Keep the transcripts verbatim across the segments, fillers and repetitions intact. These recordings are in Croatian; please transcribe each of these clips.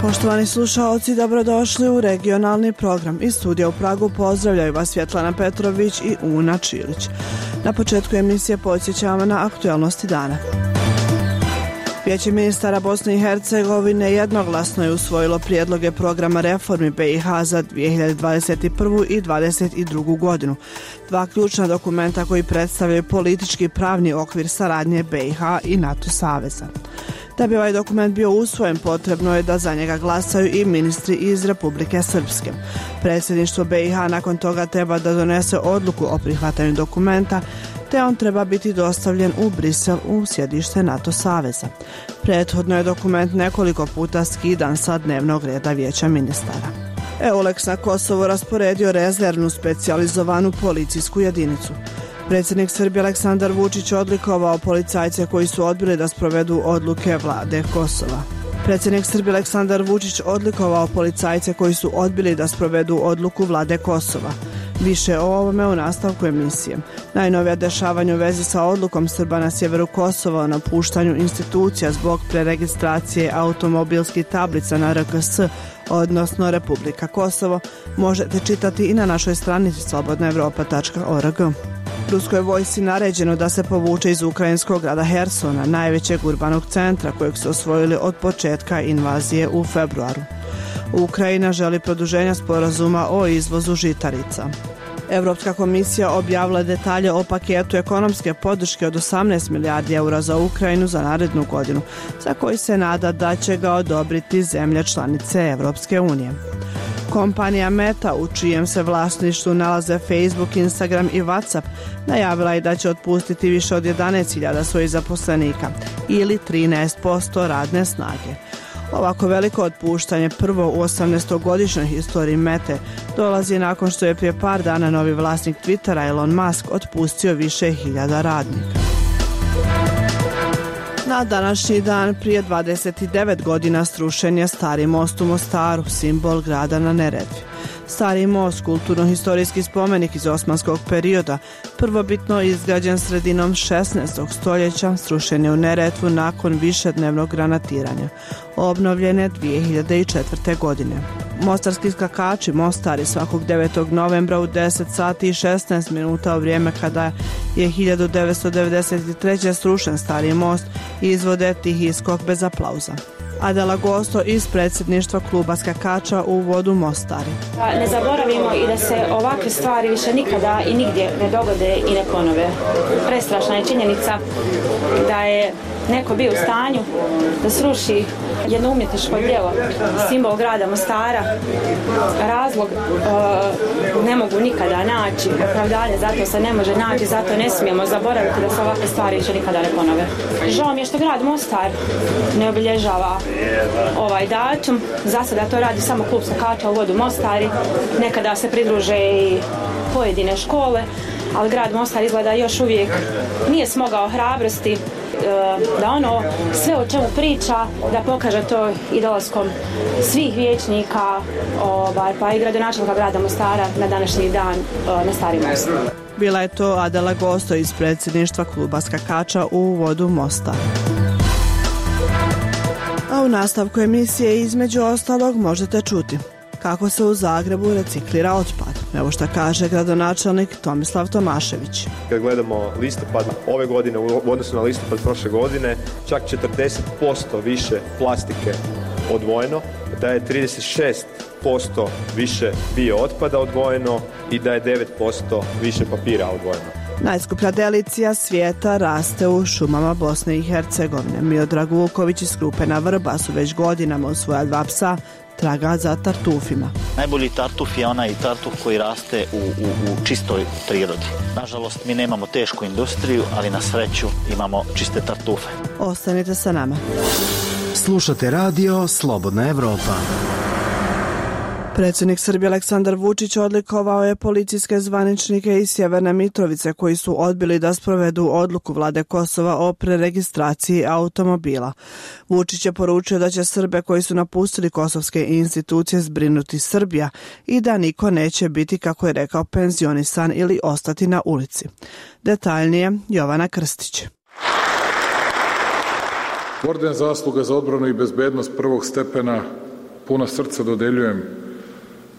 Poštovani slušaoci, dobrodošli u regionalni program. Iz studija u Pragu pozdravljaju vas Svjetlana Petrović i Una Čilić. Na početku emisije podsjećamo na aktualnosti dana. Vijeće ministara Bosne i Hercegovine jednoglasno je usvojilo prijedloge programa reformi B i H za dvije hiljade dvadeset prvu i dvadeset drugu godinu. Dva ključna dokumenta koji predstavljaju politički i pravni okvir saradnje B i H i NATO saveza. Da bi ovaj dokument bio usvojen, potrebno je da za njega glasaju i ministri iz Republike Srpske. Predsjedništvo B i H nakon toga treba da donese odluku o prihvatanju dokumenta, te on treba biti dostavljen u Brisel u sjedište NATO saveza. Prethodno je dokument nekoliko puta skidan sa dnevnog reda Vijeća ministara. EULEX na Kosovo rasporedio rezervnu specijalizovanu policijsku jedinicu. Predsjednik Srbije Aleksandar Vučić odlikovao policajce koji su odbili da sprovedu odluke vlade Kosova. Predsjednik Srbije Aleksandar Vučić odlikovao policajce koji su odbili da sprovedu odluku vlade Kosova. Više o ovome u nastavku emisije. Najnovija dešavanja u vezi sa odlukom Srba na sjeveru Kosova o napuštanju institucija zbog preregistracije automobilskih tablica na R K S, odnosno Republika Kosovo, možete čitati i na našoj stranici slobodna evropa tačka org. Ruskoj vojsci naređeno da se povuče iz ukrajinskog grada Hersona, najvećeg urbanog centra kojeg su osvojili od početka invazije u februaru. Ukrajina želi produženja sporazuma o izvozu žitarica. Europska komisija objavila detalje o paketu ekonomske podrške od osamnaest milijardi eura za Ukrajinu za narednu godinu, za koji se nada da će ga odobriti zemlje članice Europske unije. Kompanija Meta, u čijem se vlasništvu nalaze Facebook, Instagram i WhatsApp, najavila je da će otpustiti više od jedanaest hiljada svojih zaposlenika ili trinaest posto radne snage. Ovako veliko otpuštanje, prvo u osamnaestogodišnjoj historiji Mete, dolazi nakon što je prije par dana novi vlasnik Twittera Elon Musk otpustio više hiljada radnika. Na današnji dan prije dvadeset devet godina srušen je Stari most u Mostaru, simbol grada na Neretvi. Stari most, kulturno-historijski spomenik iz osmanskog perioda, prvobitno izgrađen sredinom šesnaestog stoljeća, srušen je u Neretvu nakon višednevnog granatiranja. Obnovljen je dvije hiljade četvrte. godine. Mostarski skakači Mostari svakog devetog novembra u deset sati i šesnaest minuta u vrijeme kada je hiljadu devetsto devedeset treće. srušen Stari most i izvode tihi skok bez aplauza. Adela Gosto iz predsjedništva kluba skakača u vodu Mostari. Ne zaboravimo i da se ovakve stvari više nikada i nigdje ne dogode i ne ponove. Prestrašna je činjenica da je neko bio u stanju da sruši jedno umjetničko djelo, simbol grada Mostara. Razlog uh, ne mogu nikada naći, opravdanje zato se ne može naći, zato ne smijemo zaboraviti da se ovakve stvari više nikada ne ponove. Žao mi je što grad Mostar ne obilježava ovaj datum. Za sada to radi samo klub skakača u vodu Mostari. Nekada se pridruže i pojedine škole, ali grad Mostar izgleda još uvijek nije smogao hrabrosti da ono sve o čemu priča da pokaže to i dolaskom svih vijećnika, ovaj, pa i gradonačelnika grada Mostara na današnji dan na Stari most. Bila je to Adela Gosto iz predsjedništva kluba skakača u vodu Mostar. A u nastavku emisije između ostalog možete čuti kako se u Zagrebu reciklira otpad. Evo šta kaže gradonačelnik Tomislav Tomašević. Kad gledamo listopad ove godine u odnosu na listopad prošle godine, čak četrdeset posto više plastike odvojeno, da je trideset šest posto više bio otpada odvojeno i da je devet posto više papira odvojeno. Najskuplja delicija svijeta raste u šumama Bosne i Hercegovine. Miodrag Vuković iz Krupena Vrba su već godinama uz svoja dva psa traga za tartufima. Najbolji tartuf je onaj tartuf koji raste u, u, u čistoj prirodi. Nažalost, mi nemamo tešku industriju, ali na sreću imamo čiste tartufe. Ostanite sa nama. Slušate radio Slobodna Evropa. Predsjednik Srbije Aleksandar Vučić odlikovao je policijske zvaničnike iz Sjeverne Mitrovice koji su odbili da sprovedu odluku vlade Kosova o preregistraciji automobila. Vučić je poručio da će Srbe koji su napustili kosovske institucije zbrinuti Srbija i da niko neće biti, kako je rekao, penzionisan ili ostati na ulici. Detaljnije Jovana Krstić. Orden zasluga za odbranu i bezbednost prvog stepena puna srca dodeljujem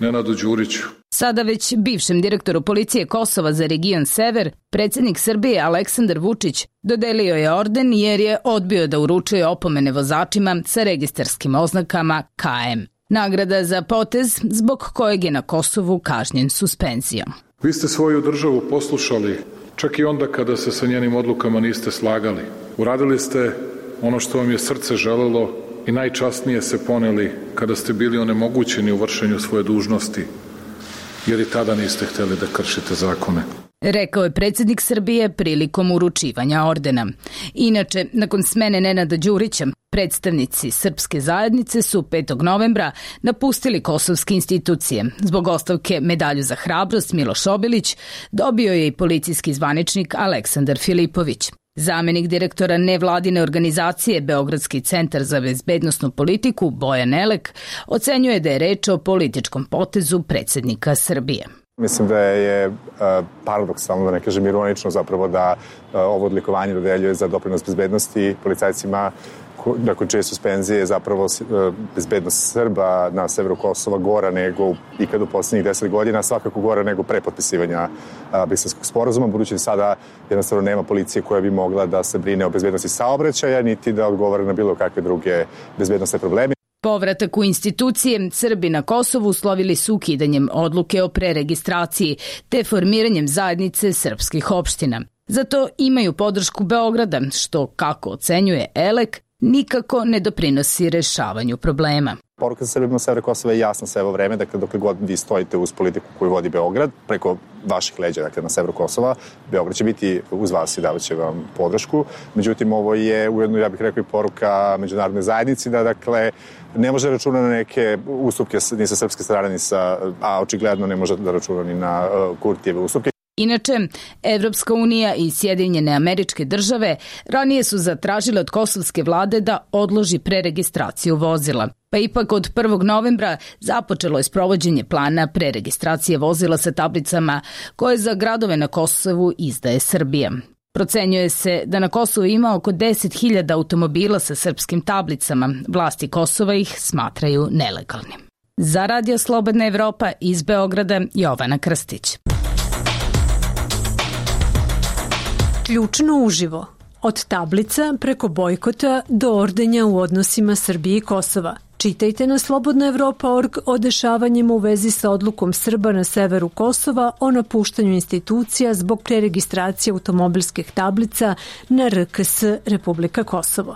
Nenadu Đuriću. Sada već bivšem direktoru policije Kosova za region Sever, predsjednik Srbije Aleksandar Vučić dodelio je orden jer je odbio da uručuje opomene vozačima sa registarskim oznakama K M. Nagrada za potez zbog kojeg je na Kosovu kažnjen suspenzijom. Vi ste svoju državu poslušali čak i onda kada se sa njenim odlukama niste slagali. Uradili ste ono što vam je srce želelo i najčasnije se poneli kada ste bili onemogućeni u vršenju svoje dužnosti, jer i tada niste htjeli da kršite zakone. Rekao je predsjednik Srbije prilikom uručivanja ordena. Inače, nakon smene Nenada Đurića, predstavnici srpske zajednice su petog novembra napustili kosovske institucije. Zbog ostavke medalju za hrabrost Miloš Obilić dobio je i policijski zvaničnik Aleksandar Filipović. Zamenik direktora nevladine organizacije Beogradski centar za bezbednosnu politiku Bojan Elek ocenjuje da je reč o političkom potezu predsjednika Srbije. Mislim da je paradoksalno, da ne kažem ironično zapravo, da ovo odlikovanje dodeljuje za doprinos bezbednosti policajcima nakon čije suspenzije je zapravo bezbednost Srba na severu Kosova gora nego ikad u posljednjih deset godina, svakako gora nego pre potpisivanja Briselskog sporazuma, budući da sada jednostavno nema policije koja bi mogla da se brine o bezbednosti saobraćaja, niti da odgovara na bilo kakve druge bezbednostne probleme. Povratak u institucije Srbi na Kosovu uslovili su ukidanjem odluke o preregistraciji te formiranjem zajednice srpskih opština. Zato imaju podršku Beograda, što, kako ocenjuje Elek, nikako ne doprinosi rešavanju problema. Poruka za Srbima severa Kosova je jasna sve ovo vreme, dakle dokle god vi stojite uz politiku koju vodi Beograd, preko vaših leđa, dakle na severu Kosova, Beograd će biti uz vas i davat će vam podršku. Međutim, ovo je ujedno, ja bih rekao, i poruka međunarodne zajednici da, dakle, ne može računa na neke ustupke ni sa srpske strane, ni sa, a očigledno ne može da računa ni na uh, Kurtijeve ustupke. Inače, Evropska unija i Sjedinjene Američke Države ranije su zatražile od kosovske vlade da odloži preregistraciju vozila. Pa ipak od prvog novembra započelo je sprovođenje plana preregistracije vozila sa tablicama koje za gradove na Kosovu izdaje Srbija. Procenjuje se da na Kosovu ima oko deset hiljada automobila sa srpskim tablicama. Vlasti Kosova ih smatraju nelegalnim. Za Radio Slobodna Evropa iz Beograda, Jovana Krstić. Ključno uživo. Od tablica preko bojkota do ordenja u odnosima Srbije i Kosova. Čitajte na slobodna evropa tačka org o dešavanjima u vezi sa odlukom Srba na severu Kosova o napuštanju institucija zbog preregistracije automobilskih tablica na R K S Republika Kosovo.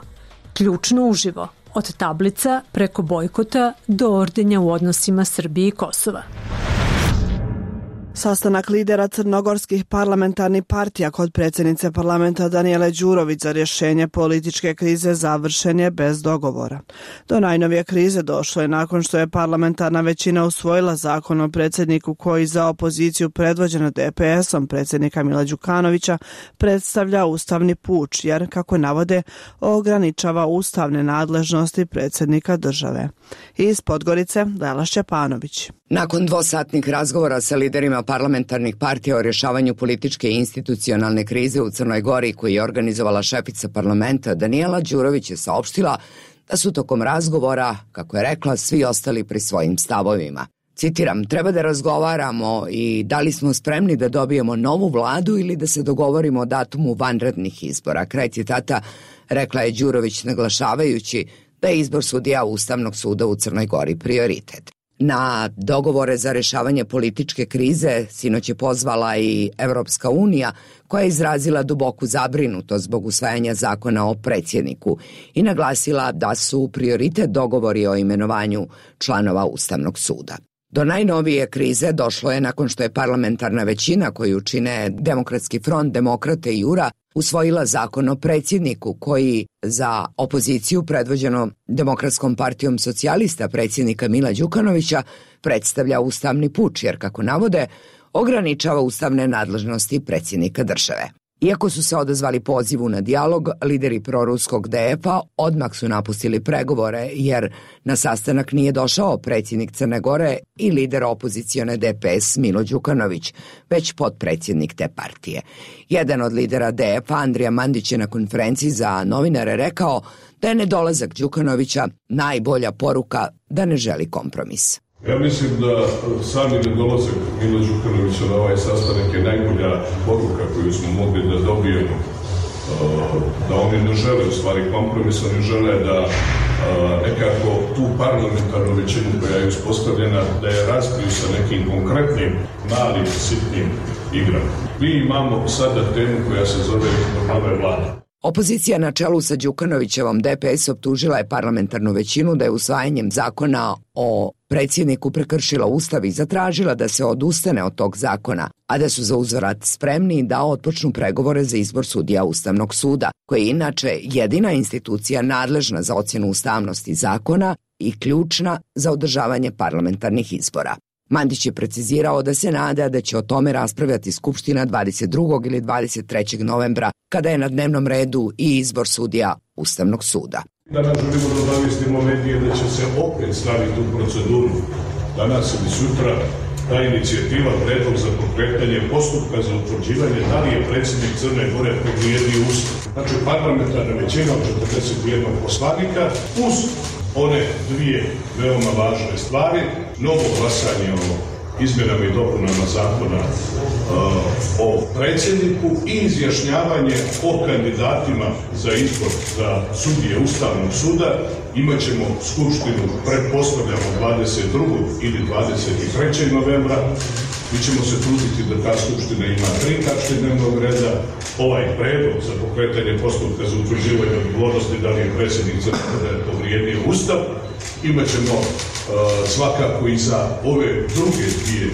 Ključno uživo. Od tablica preko bojkota do ordenja u odnosima Srbije i Kosova. Sastanak lidera crnogorskih parlamentarnih partija kod predsjednice parlamenta Danijele Đurović za rješenje političke krize završen je bez dogovora. Do najnovije krize došlo je nakon što je parlamentarna većina usvojila zakon o predsjedniku koji za opoziciju predvođeno D P S-om predsjednika Mila Đukanovića predstavlja ustavni puč jer, kako navode, ograničava ustavne nadležnosti predsjednika države. Iz Podgorice, Lela Šćepanović. Nakon dvosatnih razgovora sa liderima parlamentarnih partija o rješavanju političke i institucionalne krize u Crnoj Gori koji je organizovala šefica parlamenta, Danijela Đurović je saopštila da su tokom razgovora, kako je rekla, svi ostali pri svojim stavovima. Citiram, treba da razgovaramo i da li smo spremni da dobijemo novu vladu ili da se dogovorimo o datumu vanrednih izbora. Kraj citata, rekla je Đurović naglašavajući da je izbor sudija Ustavnog suda u Crnoj Gori prioritet. Na dogovore za rješavanje političke krize sinoć je pozvala i Evropska unija koja je izrazila duboku zabrinutost zbog usvajanja zakona o predsjedniku i naglasila da su prioritet dogovori o imenovanju članova Ustavnog suda. Do najnovije krize došlo je nakon što je parlamentarna većina koju čine Demokratski front, Demokrate i Jura usvojila zakon o predsjedniku koji za opoziciju predvođeno Demokratskom partijom socijalista predsjednika Mila Đukanovića predstavlja ustavni puč jer, kako navode, ograničava ustavne nadležnosti predsjednika države. Iako su se odazvali pozivu na dijalog, lideri proruskog D F-a odmah su napustili pregovore jer na sastanak nije došao predsjednik Crne Gore i lider opozicione D P S Milo Đukanović, već potpredsjednik te partije. Jedan od lidera D F-a, Andrija Mandić, je na konferenciji za novinare rekao da je nedolazak Đukanovića najbolja poruka da ne želi kompromis. Ja mislim da sami nedolazak Mila Đukanovića na ovaj sastanak je najbolja poruka koju smo mogli da dobijemo. Da oni ne žele u stvari kompromis, oni žele da nekako tu parlamentarnu većinu koja je uspostavljena da je razbiju sa nekim konkretnim, malim, sitnim igrama. Mi imamo sada temu koja se zove nove vlade. Opozicija na čelu sa Đukanovićevom D P S optužila je parlamentarnu većinu da je usvajanjem zakona o predsjedniku prekršila ustav i zatražila da se odustane od tog zakona, a da su za uzvrat spremni da otpočnu pregovore za izbor sudija Ustavnog suda, koji je inače jedina institucija nadležna za ocjenu ustavnosti zakona i ključna za održavanje parlamentarnih izbora. Mandić je precizirao da se nada da će o tome raspravljati Skupština dvadeset drugog ili dvadeset trećeg novembra, kada je na dnevnom redu i izbor sudija Ustavnog suda. Danas želimo da obavijestimo medije da će se opet staviti u proceduru danas ili sutra ta inicijativa predlog za pokretanje postupka za utvrđivanje da li je predsjednik Crne Gore povrijedio Ustav. Znači parlamentarna većina od četrdeset jedan poslanika uz one dvije veoma važne stvari, novo glasanje o izmjenama i dopunama zakona uh, o predsjedniku i izjašnjavanje o kandidatima za izbor za sudije Ustavnog suda. Imaćemo skupštinu, pretpostavljamo, dvadeset drugog ili dvadeset trećeg novembra. Mi ćemo se truditi da ta skupština ima tri tačke dnevnog reda. Ovaj predlog za pokretanje postupka za utvrđivanje odgovornosti da li je predsjednik Crne Gore povrijedio Ustav. Imaćemo uh, svakako i za ove druge dvije,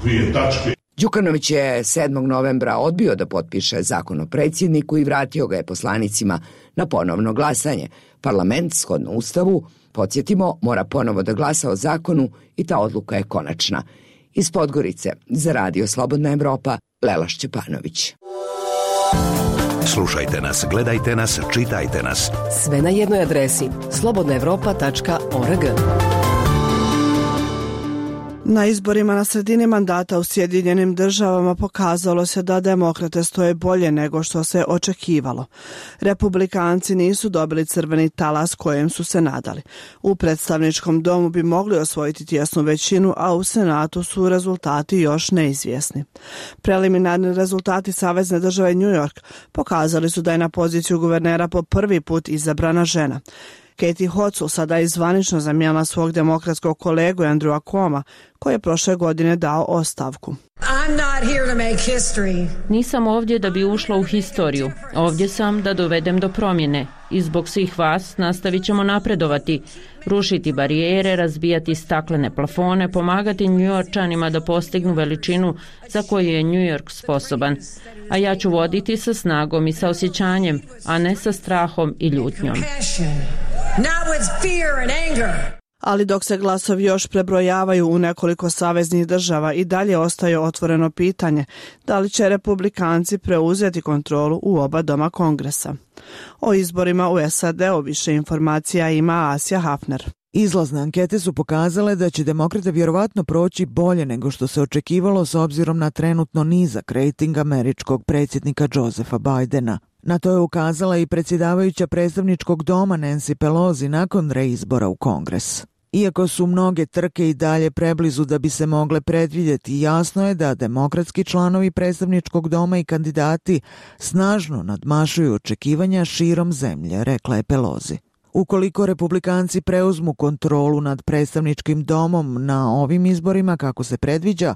dvije tačke. Đukanović je sedmog novembra odbio da potpiše zakon o predsjedniku i vratio ga je poslanicima na ponovno glasanje. Parlament, shodno Ustavu, podsjetimo, mora ponovo da glasa o zakonu i ta odluka je konačna. Iz Podgorice, za Radio Slobodna Evropa, Lela Šćepanović. Slušajte nas, gledajte nas, čitajte nas. Sve na jednoj adresi slobodna evropa tačka org. Na izborima na sredini mandata u Sjedinjenim državama pokazalo se da demokrate stoje bolje nego što se očekivalo. Republikanci nisu dobili crveni talas kojem su se nadali. U predstavničkom domu bi mogli osvojiti tjesnu većinu, a u Senatu su rezultati još neizvjesni. Preliminarni rezultati Savezne države New York pokazali su da je na poziciju guvernera po prvi put izabrana žena. Katie Hochul sada je zvanično zamijenila svog demokratskog kolegu Andrewa Cuoma, koji je prošle godine dao ostavku. Nisam ovdje da bi ušla u historiju. Ovdje sam da dovedem do promjene. I zbog svih vas nastavit ćemo napredovati, rušiti barijere, razbijati staklene plafone, pomagati Njujorčanima da postignu veličinu za koju je New York sposoban. A ja ću voditi sa snagom i sa osjećanjem, a ne sa strahom i ljutnjom. Ali dok se glasovi još prebrojavaju u nekoliko saveznih država, i dalje ostaje otvoreno pitanje da li će republikanci preuzeti kontrolu u oba doma Kongresa. O izborima u S A D-u više informacija ima Asja Hafner. Izlazne ankete su pokazale da će demokrate vjerovatno proći bolje nego što se očekivalo s obzirom na trenutno nizak rejting američkog predsjednika Josepha Bidena. Na to je ukazala i predsjedavajuća predstavničkog doma Nancy Pelosi nakon reizbora u Kongres. Iako su mnoge trke i dalje preblizu da bi se mogle predvidjeti, jasno je da demokratski članovi predstavničkog doma i kandidati snažno nadmašuju očekivanja širom zemlje, rekla je Pelosi. Ukoliko republikanci preuzmu kontrolu nad predstavničkim domom na ovim izborima kako se predviđa,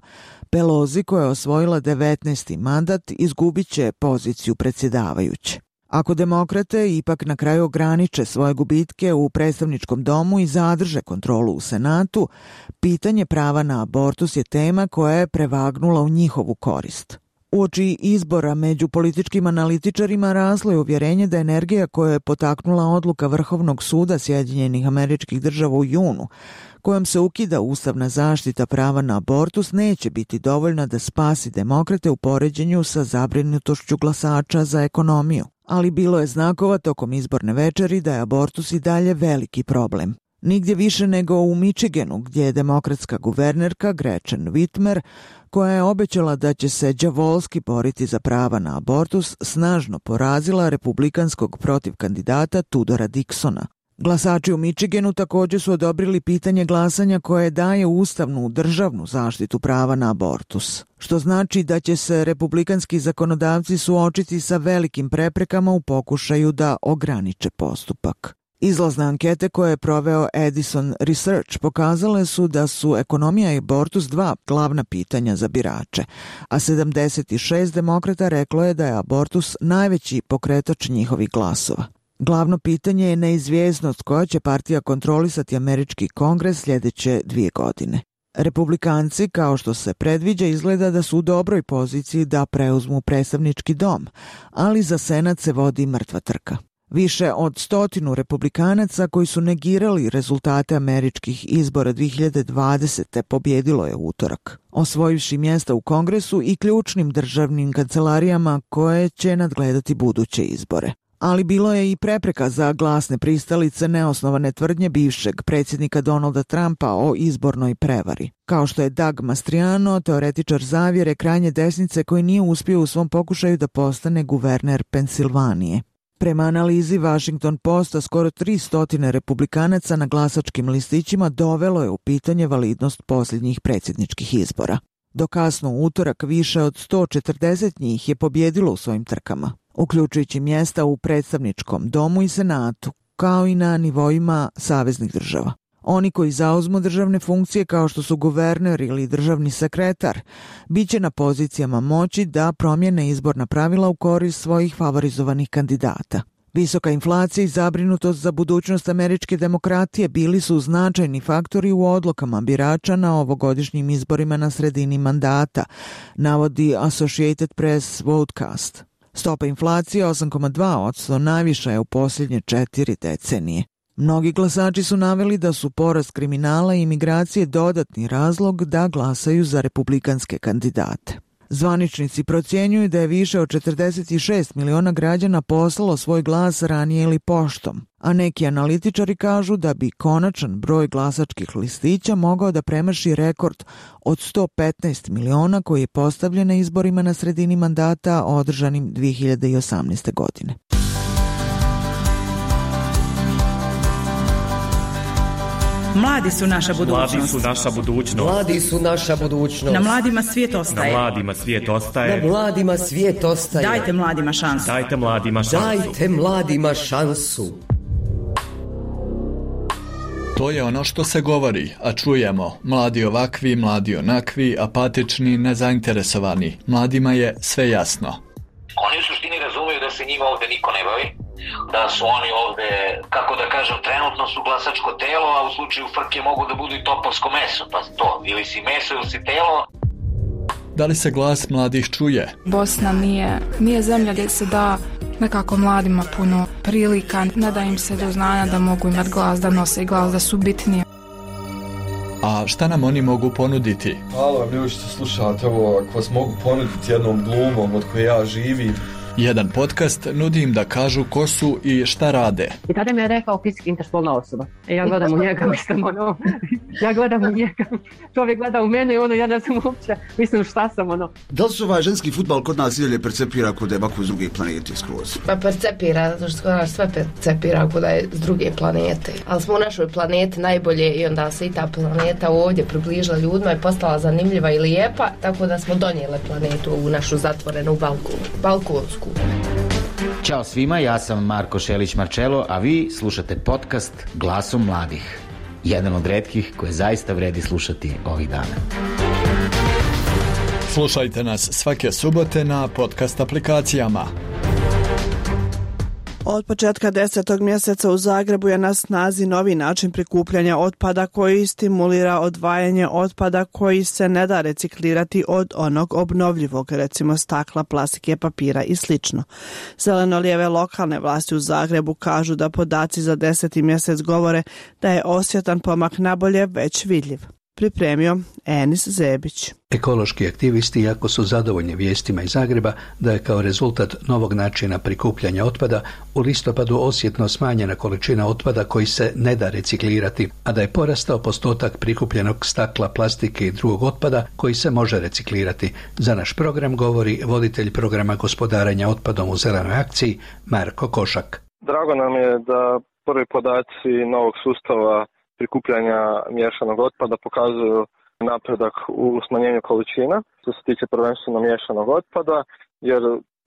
Pelosi, koja je osvojila devetnaesti mandat, izgubit će poziciju predsjedavajuće. Ako demokrate ipak na kraju ograniče svoje gubitke u predstavničkom domu i zadrže kontrolu u Senatu, pitanje prava na abortus je tema koja je prevagnula u njihovu korist. Uoči izbora među političkim analitičarima raslo je uvjerenje da energija koja je potaknula odluka Vrhovnog suda Sjedinjenih Američkih Država u junu, kojom se ukida ustavna zaštita prava na abortus, neće biti dovoljna da spasi demokrate u poređenju sa zabrinutošću glasača za ekonomiju. Ali bilo je znakova tokom izborne večeri da je abortus i dalje veliki problem. Nigdje više nego u Michiganu, gdje je demokratska guvernerka Gretchen Whitmer, koja je obećala da će se đavolski boriti za prava na abortus, snažno porazila republikanskog protiv kandidata Tudora Dixona. Glasači u Michiganu također su odobrili pitanje glasanja koje daje ustavnu državnu zaštitu prava na abortus, što znači da će se republikanski zakonodavci suočiti sa velikim preprekama u pokušaju da ograniče postupak. Izlazne ankete koje je proveo Edison Research pokazale su da su ekonomija i abortus dva glavna pitanja za birače, a sedamdeset šest demokrata reklo je da je abortus najveći pokretač njihovih glasova. Glavno pitanje je neizvjesnost koja će partija kontrolisati američki kongres sljedeće dvije godine. Republikanci, kao što se predviđa, izgleda da su u dobroj poziciji da preuzmu predstavnički dom, ali za Senat se vodi mrtva trka. Više od stotinu republikanaca koji su negirali rezultate američkih izbora dvije hiljade dvadesete pobjedilo je utorak, osvojivši mjesta u Kongresu i ključnim državnim kancelarijama koje će nadgledati buduće izbore. Ali bilo je i prepreka za glasne pristalice neosnovane tvrdnje bivšeg predsjednika Donalda Trumpa o izbornoj prevari, kao što je Doug Mastriano, teoretičar zavjere krajnje desnice koji nije uspio u svom pokušaju da postane guverner Pensilvanije. Prema analizi Washington Posta, skoro tristo republikanaca na glasačkim listićima dovelo je u pitanje validnost posljednjih predsjedničkih izbora. Do kasno u utorak više od sto četrdeset njih je pobjedilo u svojim trkama, uključujući mjesta u predstavničkom domu i senatu, kao i na nivoima saveznih država. Oni koji zauzmu državne funkcije kao što su guverner ili državni sekretar, bit će na pozicijama moći da promijene izborna pravila u korist svojih favorizovanih kandidata. Visoka inflacija i zabrinutost za budućnost američke demokratije bili su značajni faktori u odlukama birača na ovogodišnjim izborima na sredini mandata, navodi Associated Press Vodcast. Stopa inflacije osam zarez dva posto najviša je u posljednje četiri decenije. Mnogi glasači su naveli da su porast kriminala i imigracije dodatni razlog da glasaju za republikanske kandidate. Zvaničnici procjenjuju da je više od četrdeset šest miliona građana poslalo svoj glas ranije ili poštom, a neki analitičari kažu da bi konačan broj glasačkih listića mogao da premaši rekord od sto petnaest miliona koji je postavljen na izborima na sredini mandata održanim dvije hiljade osamnaeste. godine. Mladi su naša budućnost. Mladi su naša budućnost. Mladi su naša budućnost. Na mladima svijet ostaje. Na mladima svijet ostaje. Na mladima svijet ostaje. Dajte mladima šansu. Dajte mladima šansu. Dajte mladima šansu. To je ono što se govori, a čujemo. Mladi ovakvi, mladi onakvi, apatični, nezainteresovani. Mladima je sve jasno. Oni u suštini razumiju da se njima ovdje niko ne bavi, da su oni ovdje, kako da kažem, trenutno su glasačko telo, a u slučaju frke mogu da budu i topovsko meso, pa to, ili si meso ili si telo. Da li se glas mladih čuje? Bosna nije, nije zemlja gdje se da nekako mladima puno prilika, ne da im se do znanja da mogu imati glas, da nose glas, da su bitnije. A šta nam oni mogu ponuditi? Hvala vam ljudi što slušate ovo, ako vas mogu ponuditi jednom glumom od koje ja živim. Jedan podcast nudi im da kažu ko su i šta rade. I tada mi je rekao fizički interspolna osoba. E ja gledam u njega, mislim ono, ja gledam u njega, čovjek gleda u mene i ono, ja ne znam uopće, mislim šta sam ono. Da li se ovaj ženski fudbal kod nas idalje percepira kod je bako iz druge planete skroz? Pa percepira, zato što nas sve percepira kod je s druge planete. Ali smo u našoj planeti najbolje i onda se i ta planeta ovdje približila ljudima i postala zanimljiva i lijepa, tako da smo donijele planetu u našu zatvorenu balku, balkonsku. Ćao svima, ja sam Marko Šelić-Marčelo, a vi slušate podcast Glasom mladih. Jedan od retkih koje zaista vredi slušati ovih dana. Slušajte nas svake subote na podcast aplikacijama Od početka desetog mjeseca u Zagrebu je na snazi novi način prikupljanja otpada koji stimulira odvajanje otpada koji se ne da reciklirati od onog obnovljivog, recimo stakla, plastike, papira i sl. Zeleno-lijeve lokalne vlasti u Zagrebu kažu da podaci za deseti mjesec govore da je osjetan pomak nabolje već vidljiv. Pripremio Enis Zebić. Ekološki aktivisti jako su zadovoljni vijestima iz Zagreba da je kao rezultat novog načina prikupljanja otpada u listopadu osjetno smanjena količina otpada koji se ne da reciklirati, a da je porastao postotak prikupljenog stakla, plastike i drugog otpada koji se može reciklirati. Za naš program govori voditelj programa gospodarenja otpadom u Zelenoj akciji Marko Košak. Drago nam je da prvi podaci novog sustava prikupljanja miješanog otpada pokazuju napredak u smanjenju količina što se tiče prvenstveno miješanog otpada, jer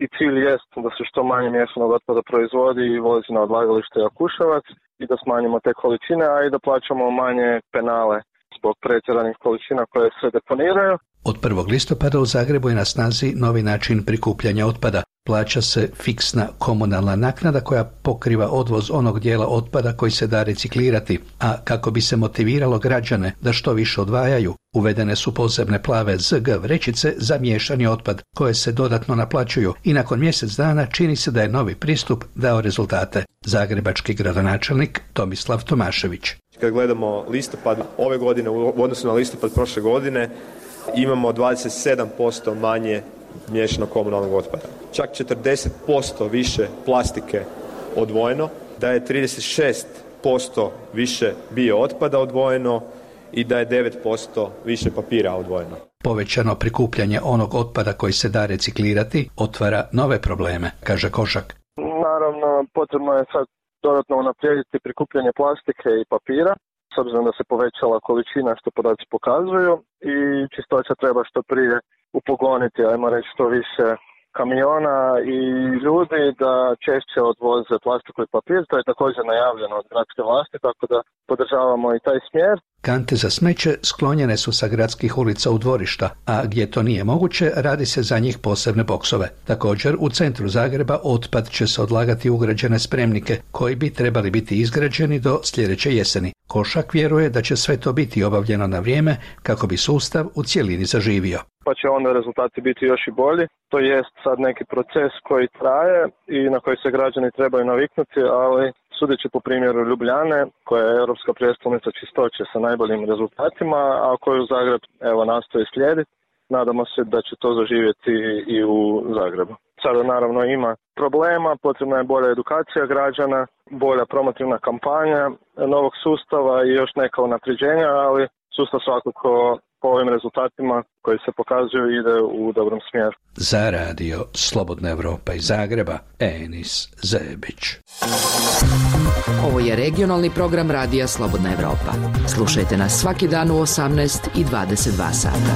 i cilj jest da se što manje miješanog otpada proizvodi i vozi na odlagalište Jakuševac i da smanjimo te količine, a i da plaćamo manje penale zbog pretjeranih količina koje se deponiraju. Od prvog listopada u Zagrebu je na snazi novi način prikupljanja otpada. Plaća se fiksna komunalna naknada koja pokriva odvoz onog dijela otpada koji se da reciklirati, a kako bi se motiviralo građane da što više odvajaju, uvedene su posebne plave Z G vrećice za miješani otpad koje se dodatno naplaćuju i nakon mjesec dana čini se da je novi pristup dao rezultate. Zagrebački gradonačelnik Tomislav Tomašević. Kad gledamo listopad ove godine u odnosu na listopad prošle godine, imamo dvadeset sedam posto manje miješanog komunalnog otpada. Čak četrdeset posto više plastike odvojeno, da je trideset šest posto više bio otpada odvojeno i da je devet posto više papira odvojeno. Povećano prikupljanje onog otpada koji se da reciklirati otvara nove probleme, kaže Košak. Naravno, potrebno je sad dodatno unaprijediti prikupljanje plastike i papira, s obzirom da se povećala količina što podaci pokazuju i čistoća treba što prije upogoniti, ajmo reći što više kamiona i ljudi da češće odvoze plastiku i papir. To je također najavljeno od gradske vlasti, tako da podržavamo i taj smjer. Kante za smeće sklonjene su sa gradskih ulica u dvorišta, a gdje to nije moguće, radi se za njih posebne boksove. Također, u centru Zagreba otpad će se odlagati u ugrađene spremnike, koji bi trebali biti izgrađeni do sljedeće jeseni. Košak vjeruje da će sve to biti obavljeno na vrijeme kako bi sustav u cjelini zaživio. Pa će onda rezultati biti još i bolji. To jest sad neki proces koji traje i na koji se građani trebaju naviknuti, ali sudeći po primjeru Ljubljane, koja je europska prijestolnica čistoće sa najboljim rezultatima, a koju Zagreb evo nastoji slijediti, nadamo se da će to zaživjeti i u Zagrebu. Sada naravno ima problema, potrebna je bolja edukacija građana, bolja promotivna kampanja novog sustava i još neka unapređenja, ali sustav svakako po ovim rezultatima koji se pokazuju ide u dobrom smjeru. Za radio Slobodna Evropa iz Zagreba, Enis Zebić. Ovo je regionalni program radija Slobodna Evropa. Slušajte nas svaki dan u osamnaest i dvadeset dva sata.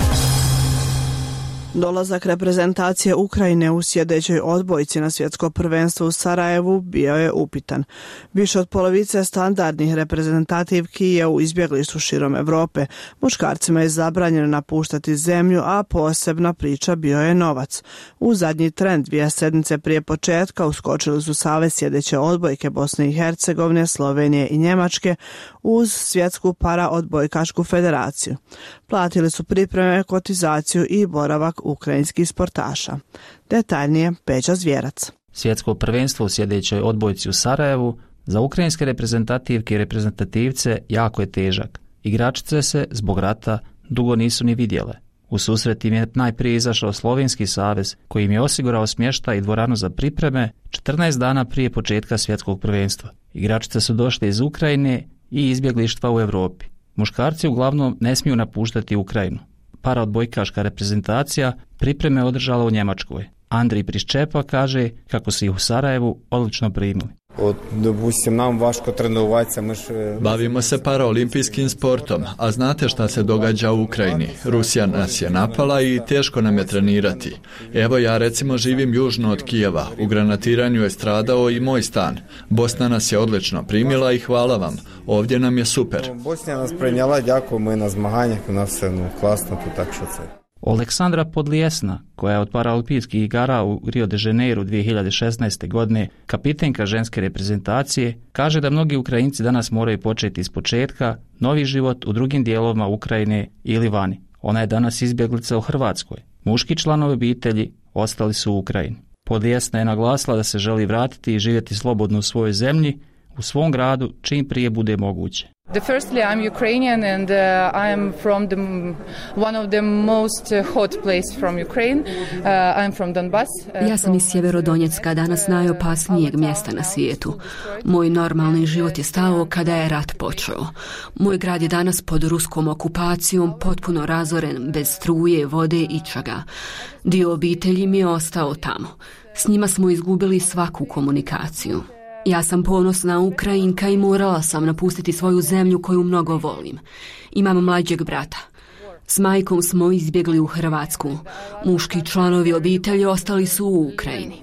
Dolazak reprezentacije Ukrajine u sljedećoj odbojci na svjetsko prvenstvo u Sarajevu bio je upitan. Više od polovice standardnih reprezentativki je u izbjeglištvu širom Europe. Muškarcima je zabranjeno napuštati zemlju, a posebna priča bio je novac. U zadnji tren dvije sedmice prije početka uskočili su savez sljedeće odbojke Bosne i Hercegovine, Slovenije i Njemačke uz svjetsku paraodbojkašku federaciju. Platili su pripreme, kotizaciju i boravak ukrajinskih sportaša. Detaljnije Peđa Zvjerac. Svjetsko prvenstvo u sljedećoj odbojci u Sarajevu za ukrajinske reprezentativke i reprezentativce jako je težak. Igračice se zbog rata dugo nisu ni vidjele. U susret im je najprije izašao Slovenski savez koji im je osigurao smještaj i dvoranu za pripreme četrnaest dana prije početka svjetskog prvenstva. Igračice su došle iz Ukrajine i izbjeglištva u Europi. Muškarci uglavnom ne smiju napuštati Ukrajinu. Paraodbojkaška reprezentacija pripreme održala u Njemačkoj. Andrij Priščepa kaže kako su ih u Sarajevu odlično primili. Bavimo se paraolimpijskim sportom, a znate šta se događa u Ukrajini. Rusija nas je napala i teško nam je trenirati. Evo ja recimo živim južno od Kijeva. U granatiranju je stradao i moj stan. Bosna nas je odlično primila i hvala vam. Ovdje nam je super. Bosna nas prenijela, дякую, ми на змаганнях, у нас все ну, класно, тут так що це. Aleksandra Podlijesna, koja je od paraolimpijskih igara u Rio de Janeiro dvije hiljade šesnaeste. godine kapitenka ženske reprezentacije, kaže da mnogi Ukrajinci danas moraju početi iz početka novi život u drugim dijelovima Ukrajine ili vani. Ona je danas izbjeglica u Hrvatskoj. Muški članovi obitelji ostali su u Ukrajini. Podlijesna je naglasila da se želi vratiti i živjeti slobodno u svojoj zemlji, u svom gradu, čim prije bude moguće. The firstly, I'm Ukrainian and uh, I am from the one of the most hot place from Ukraine. Uh, I'm from Donbas. Uh, ja sam iz Sjeverodonjecka, danas najopasnijeg mjesta na svijetu. Moj normalni život je stao kada je rat počeo. Moj grad je danas pod ruskom okupacijom, potpuno razoren, bez struje, vode i čega. Dio obitelji mi je ostao tamo. S njima smo izgubili svaku komunikaciju. Ja sam ponosna Ukrajinka i morala sam napustiti svoju zemlju koju mnogo volim. Imam mlađeg brata. S majkom smo izbjegli u Hrvatsku. Muški članovi obitelji ostali su u Ukrajini.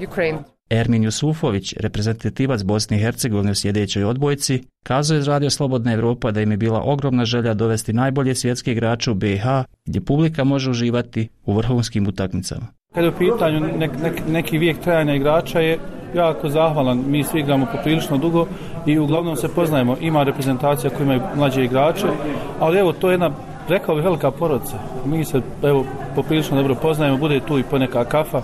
Ukraine. Ermin Jusufović, reprezentativac Bosne i Hercegovine u sljedećoj odbojci, kazao iz Radio Slobodna Evropa da im je bila ogromna želja dovesti najbolje svjetske igrače u B i H, gdje publika može uživati u vrhunskim utakmicama. Kada je u pitanju nek, nek, neki vijek trajanja igrača je jako zahvalan. Mi svi igramo poprilično dugo i uglavnom se poznajemo. Ima reprezentacija koji imaju mlađe igrače, ali evo to je jedna, rekao bih, velika porodica. Mi se evo poprilično dobro poznajemo, bude tu i poneka kafa,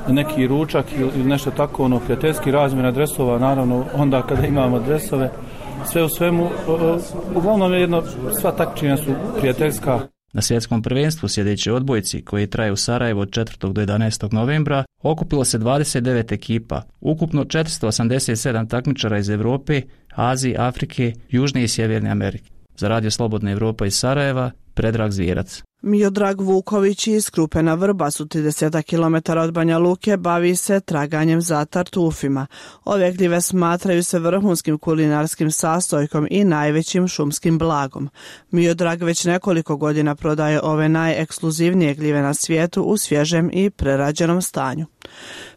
neki ručak ili nešto tako, ono, prijateljski razmjena dresova, naravno onda kada imamo dresove. Sve u svemu, uglavnom je jedno, sva takmičenja su prijateljska. Na svjetskom prvenstvu sljedećoj odbojci, koji traje u Sarajevu od četvrtog do jedanaestog novembra, okupilo se dvadeset devet ekipa, ukupno četiristo osamdeset sedam takmičara iz Europe, Azije, Afrike, Južne i Sjeverne Amerike. Za Radio Slobodna Evropa iz Sarajeva, Predrag Zvijerac. Miodrag Vuković iz Krupena Vrbasu, trideset kilometara od Banja Luke, bavi se traganjem za tartufima. Ove gljive smatraju se vrhunskim kulinarskim sastojkom i najvećim šumskim blagom. Miodrag već nekoliko godina prodaje ove najekskluzivnije gljive na svijetu u svježem i prerađenom stanju.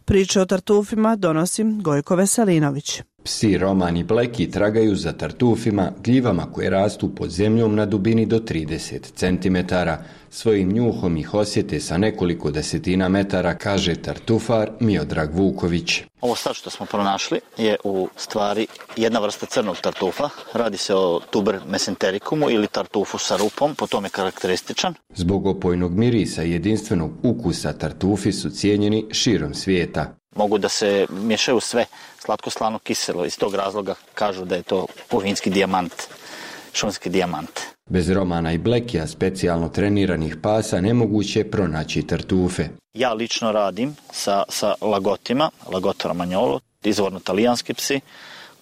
Priče o tartufima donosi Gojko Veselinović. Psi Roman i Bleki tragaju za tartufima, gljivama koje rastu pod zemljom na dubini do trideset centimetara. Svojim njuhom ih osjete sa nekoliko desetina metara, kaže tartufar Miodrag Vuković. Ovo sad što smo pronašli je u stvari jedna vrsta crnog tartufa. Radi se o tuber mesentericumu ili tartufu sa rupom, po tome je karakterističan. Zbog opojnog mirisa i jedinstvenog ukusa tartufi su cijenjeni širom svijeta. Mogu da se miješaju sve, slatko, slano, kiselo. Iz tog razloga kažu da je to puvinski dijamant, šumski dijamant. Bez Romana i Blekija, specijalno treniranih pasa, nemoguće je pronaći tartufe. Ja lično radim sa, sa lagotima, Lagotto Romagnolo, izvorno talijanski psi,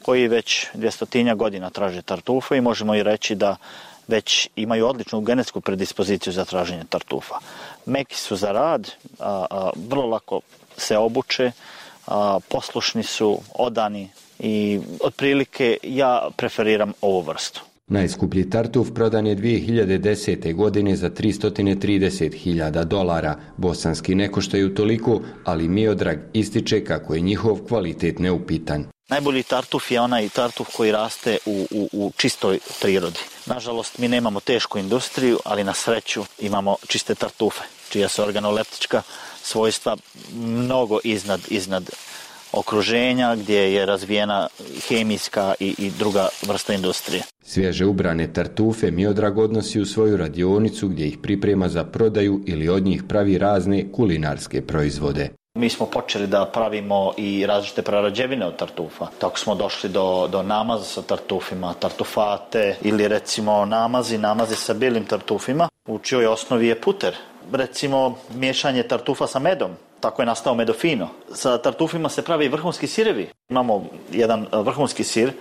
koji već dvjestotinja godina traže tartufe i možemo i reći da već imaju odličnu genetsku predispoziciju za traženje tartufa. Meki su za rad, a, a, vrlo lako se obuče, a, poslušni su, odani i otprilike ja preferiram ovu vrstu. Najskuplji tartuf prodan je dvije hiljade desete. godine za tristo trideset hiljada dolara. Bosanski ne koštaju toliko, ali Miodrag ističe kako je njihov kvalitet neupitan. Najbolji tartuf je onaj tartuf koji raste u, u, u čistoj prirodi. Nažalost, mi nemamo tešku industriju, ali na sreću imamo čiste tartufe, čija su organoleptička svojstva mnogo iznad, iznad okruženja gdje je razvijena hemijska i, i druga vrsta industrije. Svježe ubrane tartufe Miodrag odnosi u svoju radionicu gdje ih priprema za prodaju ili od njih pravi razne kulinarske proizvode. Mi smo počeli da pravimo i različite prerađevine od tartufa. Tako smo došli do, do namaza sa tartufima, tartufate ili recimo namazi, namazi sa bijelim tartufima, u čijoj osnovi je puter. Recimo miješanje tartufa sa medom. Tako je nastao Medofino. Sa tartufima se pravi vrhunski sirevi. Imamo jedan vrhunski sir,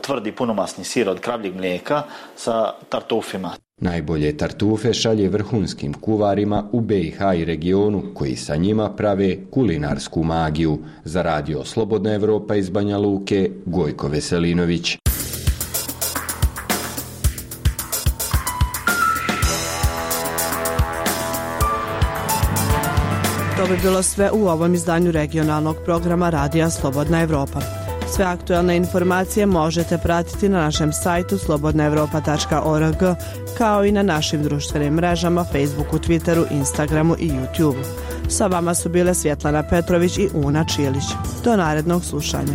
tvrdi punomasni sir od kravljeg mlijeka sa tartufima. Najbolje tartufe šalje vrhunskim kuvarima u B i H i regionu, koji sa njima prave kulinarsku magiju. Za Radio Slobodna Evropa iz Banja Luke, Gojko Veselinović. To bi bilo sve u ovom izdanju regionalnog programa Radija Slobodna Evropa. Sve aktualne informacije možete pratiti na našem sajtu slobodna europa tačka org, kao i na našim društvenim mrežama Facebooku, Twitteru, Instagramu i YouTubeu. Sa vama su bile Svjetlana Petrović i Una Čilić. Do narednog slušanja.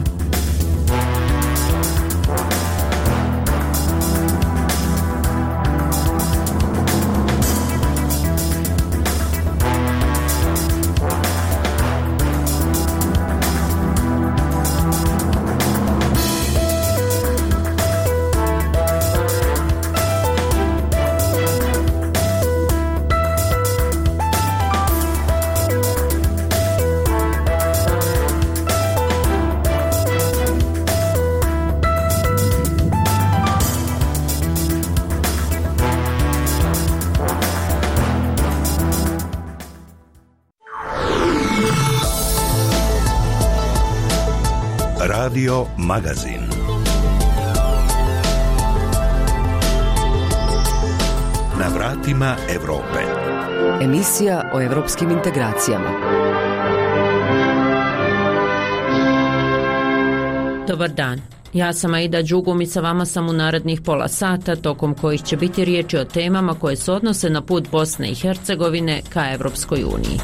Radio Magazin. Na vratima Europe. Emisija o evropskim integracijama. Dobar dan. Ja sam Aida Đugum i sa vama sam u narednih pola sata, tokom kojih će biti riječi o temama koje se odnose na put Bosne i Hercegovine ka Evropskoj uniji.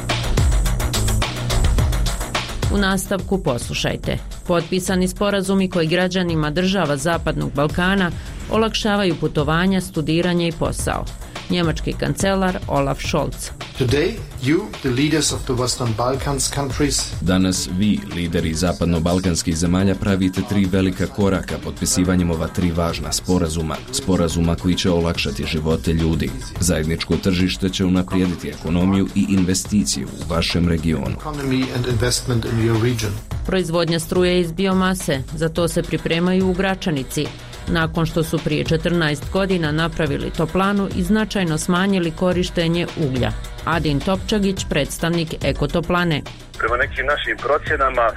U nastavku poslušajte. Potpisani sporazumi koji građanima država Zapadnog Balkana olakšavaju putovanja, studiranje i posao. Njemački kancelar Olaf Scholz. Today, you, the leaders of the Western Balkans countries, Danas vi, lideri zapadno-balkanskih zemalja, pravite tri velika koraka potpisivanjem ova tri važna sporazuma. Sporazuma koji će olakšati živote ljudi. Zajedničko tržište će unaprijediti ekonomiju i investiciju u vašem regionu. economy and investment in your region. Proizvodnja struje iz biomase, za to se pripremaju u Gračanici, nakon što su prije četrnaest godina napravili toplanu i značajno smanjili korištenje uglja. Adin Topčagić, predstavnik Ekotoplane. Prema nekim našim procjenama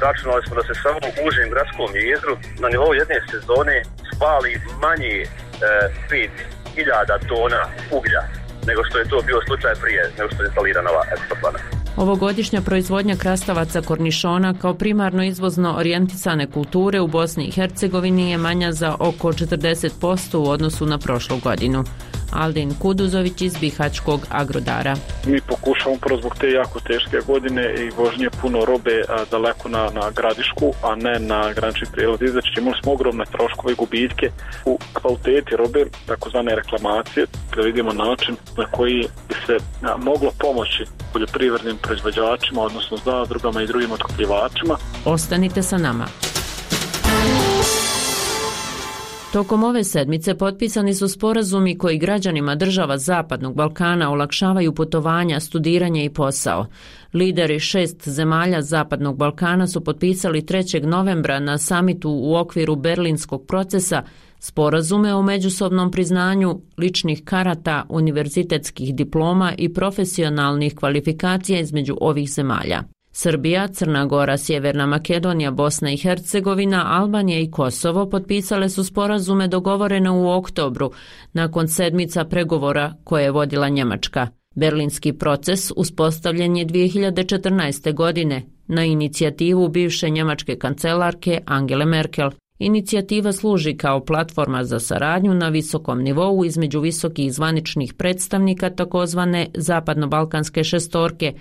računali smo da se samo u užem gradskom jezgru na nivou jedne sezone spali manje e, pet hiljada tona uglja nego što je to bio slučaj prije nego što je instalirana ova Ekotoplana. Ovogodišnja proizvodnja krastavaca kornišona kao primarno izvozno orijentisane kulture u Bosni i Hercegovini je manja za oko četrdeset posto u odnosu na prošlu godinu. Aldin Kuduzović iz Bihaćkog Agrodara. Mi pokušamo prvo zbog te jako teške godine i vožnje puno robe a, daleko na, na gradišku, a ne na granični prijelaz izaći. Imali smo ogromne troškove i gubitke u kvaliteti robe, takozvane reklamacije, da vidimo način na koji bi se a, moglo pomoći poljoprivrednim proizvođačima, odnosno zadrugama i drugim otkupljivačima. Ostanite sa nama. Tokom ove sedmice potpisani su sporazumi koji građanima država Zapadnog Balkana olakšavaju putovanja, studiranje i posao. Lideri šest zemalja Zapadnog Balkana su potpisali trećeg novembra na samitu u okviru Berlinskog procesa sporazume o međusobnom priznanju ličnih karata, univerzitetskih diploma i profesionalnih kvalifikacija između ovih zemalja. Srbija, Crna Gora, Sjeverna Makedonija, Bosna i Hercegovina, Albanija i Kosovo potpisale su sporazume dogovorene u oktobru, nakon sedmica pregovora koje je vodila Njemačka. Berlinski proces uspostavljen je dvije hiljade četrnaeste. godine na inicijativu bivše njemačke kancelarke Angele Merkel. Inicijativa služi kao platforma za saradnju na visokom nivou između visokih zvaničnih predstavnika takozvane zapadno-balkanske šestorke,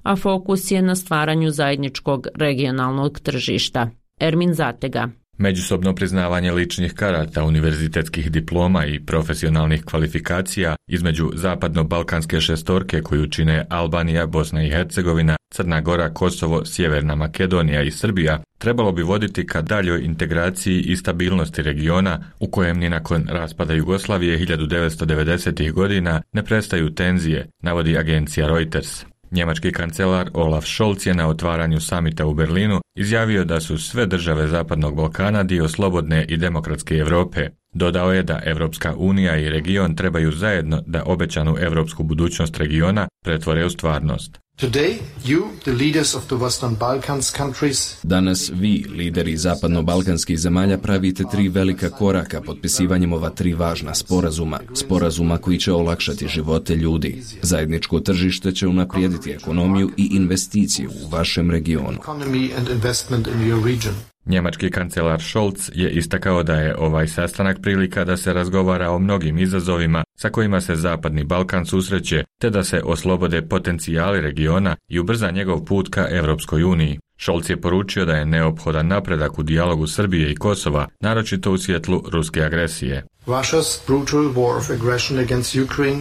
a fokus je na stvaranju zajedničkog regionalnog tržišta. Ermin Zatega. Međusobno priznavanje ličnih karata, univerzitetskih diploma i profesionalnih kvalifikacija između zapadno-balkanske šestorke koju čine Albanija, Bosna i Hercegovina, Crna Gora, Kosovo, Sjeverna Makedonija i Srbija trebalo bi voditi ka daljoj integraciji i stabilnosti regiona u kojem ni nakon raspada Jugoslavije hiljadu devetsto devedesetih. godina ne prestaju tenzije, navodi agencija Reuters. Njemački kancelar Olaf Scholz je na otvaranju samita u Berlinu izjavio da su sve države Zapadnog Balkana dio slobodne i demokratske Europe. Dodao je da Evropska unija i region trebaju zajedno da obećanu europsku budućnost regiona pretvore u stvarnost. Today, you, the leaders of the Western Balkans countries, Danas vi, lideri zapadno-balkanskih zemalja, pravite tri velika koraka potpisivanjem ova tri važna sporazuma. Sporazuma koji će olakšati živote ljudi. Zajedničko tržište će unaprijediti ekonomiju i investiciju u vašem regionu. economy and investment in your region. Njemački kancelar Scholz je istakao da je ovaj sastanak prilika da se razgovara o mnogim izazovima sa kojima se Zapadni Balkan susreće, te da se oslobode potencijali regiona i ubrza njegov put ka Europskoj uniji. Scholz je poručio da je neophodan napredak u dijalogu Srbije i Kosova, naročito u svjetlu ruske agresije.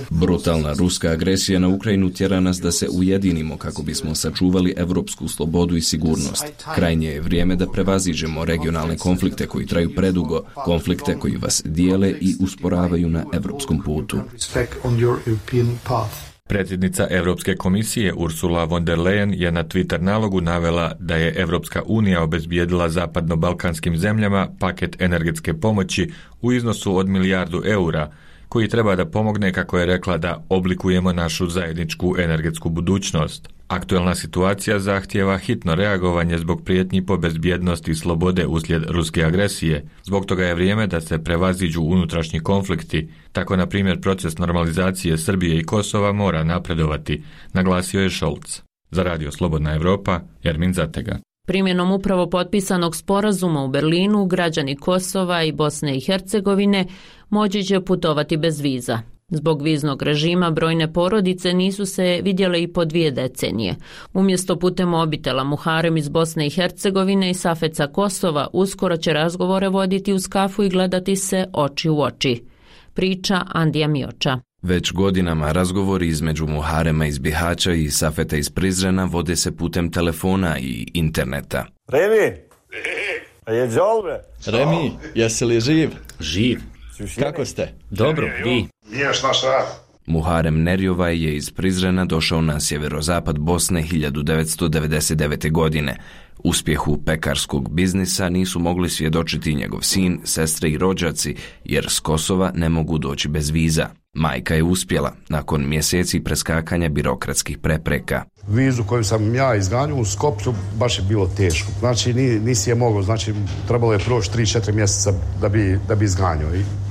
Brutalna ruska agresija na Ukrajinu tjera nas da se ujedinimo kako bismo sačuvali evropsku slobodu i sigurnost. Krajnje je vrijeme da prevaziđemo regionalne konflikte koji traju predugo, konflikte koji vas dijele i usporavaju na evropskom putu. Predsjednica Europske komisije Ursula von der Leyen je na Twitter nalogu navela da je Europska unija obezbijedila zapadno-balkanskim zemljama paket energetske pomoći u iznosu od milijardu eura, koji treba da pomogne, kako je rekla, da oblikujemo našu zajedničku energetsku budućnost. Aktualna situacija zahtijeva hitno reagovanje zbog prijetnji po bezbjednosti i slobode uslijed ruske agresije. Zbog toga je vrijeme da se prevaziđu unutrašnji konflikti. Tako, na primjer, proces normalizacije Srbije i Kosova mora napredovati, naglasio je Scholz. Za Radio Slobodna Evropa, Ermin Zatega. Primjenom upravo potpisanog sporazuma u Berlinu, građani Kosova i Bosne i Hercegovine moći će putovati bez viza. Zbog viznog režima brojne porodice nisu se vidjele i po dvije decenije. Umjesto putem mobitela, Muharem iz Bosne i Hercegovine i Safeca Kosova uskoro će razgovore voditi uz kafu i gledati se oči u oči. Priča Andija Mioča. Već godinama razgovori između Muharema iz Bihaća i Safeta iz Prizrena vode se putem telefona i interneta. Remi, a je džolbe? Remi, jesi li živ? Živ. Kako ste? Dobro, vi? Niješ naš rad. Muharem Nerjovaj je iz Prizrena došao na sjeverozapad Bosne hiljadu devetsto devedeset devete. godine. Uspjehu pekarskog biznisa nisu mogli svjedočiti njegov sin, sestre i rođaci, jer s Kosova ne mogu doći bez viza. Majka je uspjela, nakon mjeseci preskakanja birokratskih prepreka. Vizu koju sam ja izganjao u Skopju baš je bilo teško. Znači nisi je mogao, znači trebalo je proći tri četiri mjeseca da bi, da bi izganjao.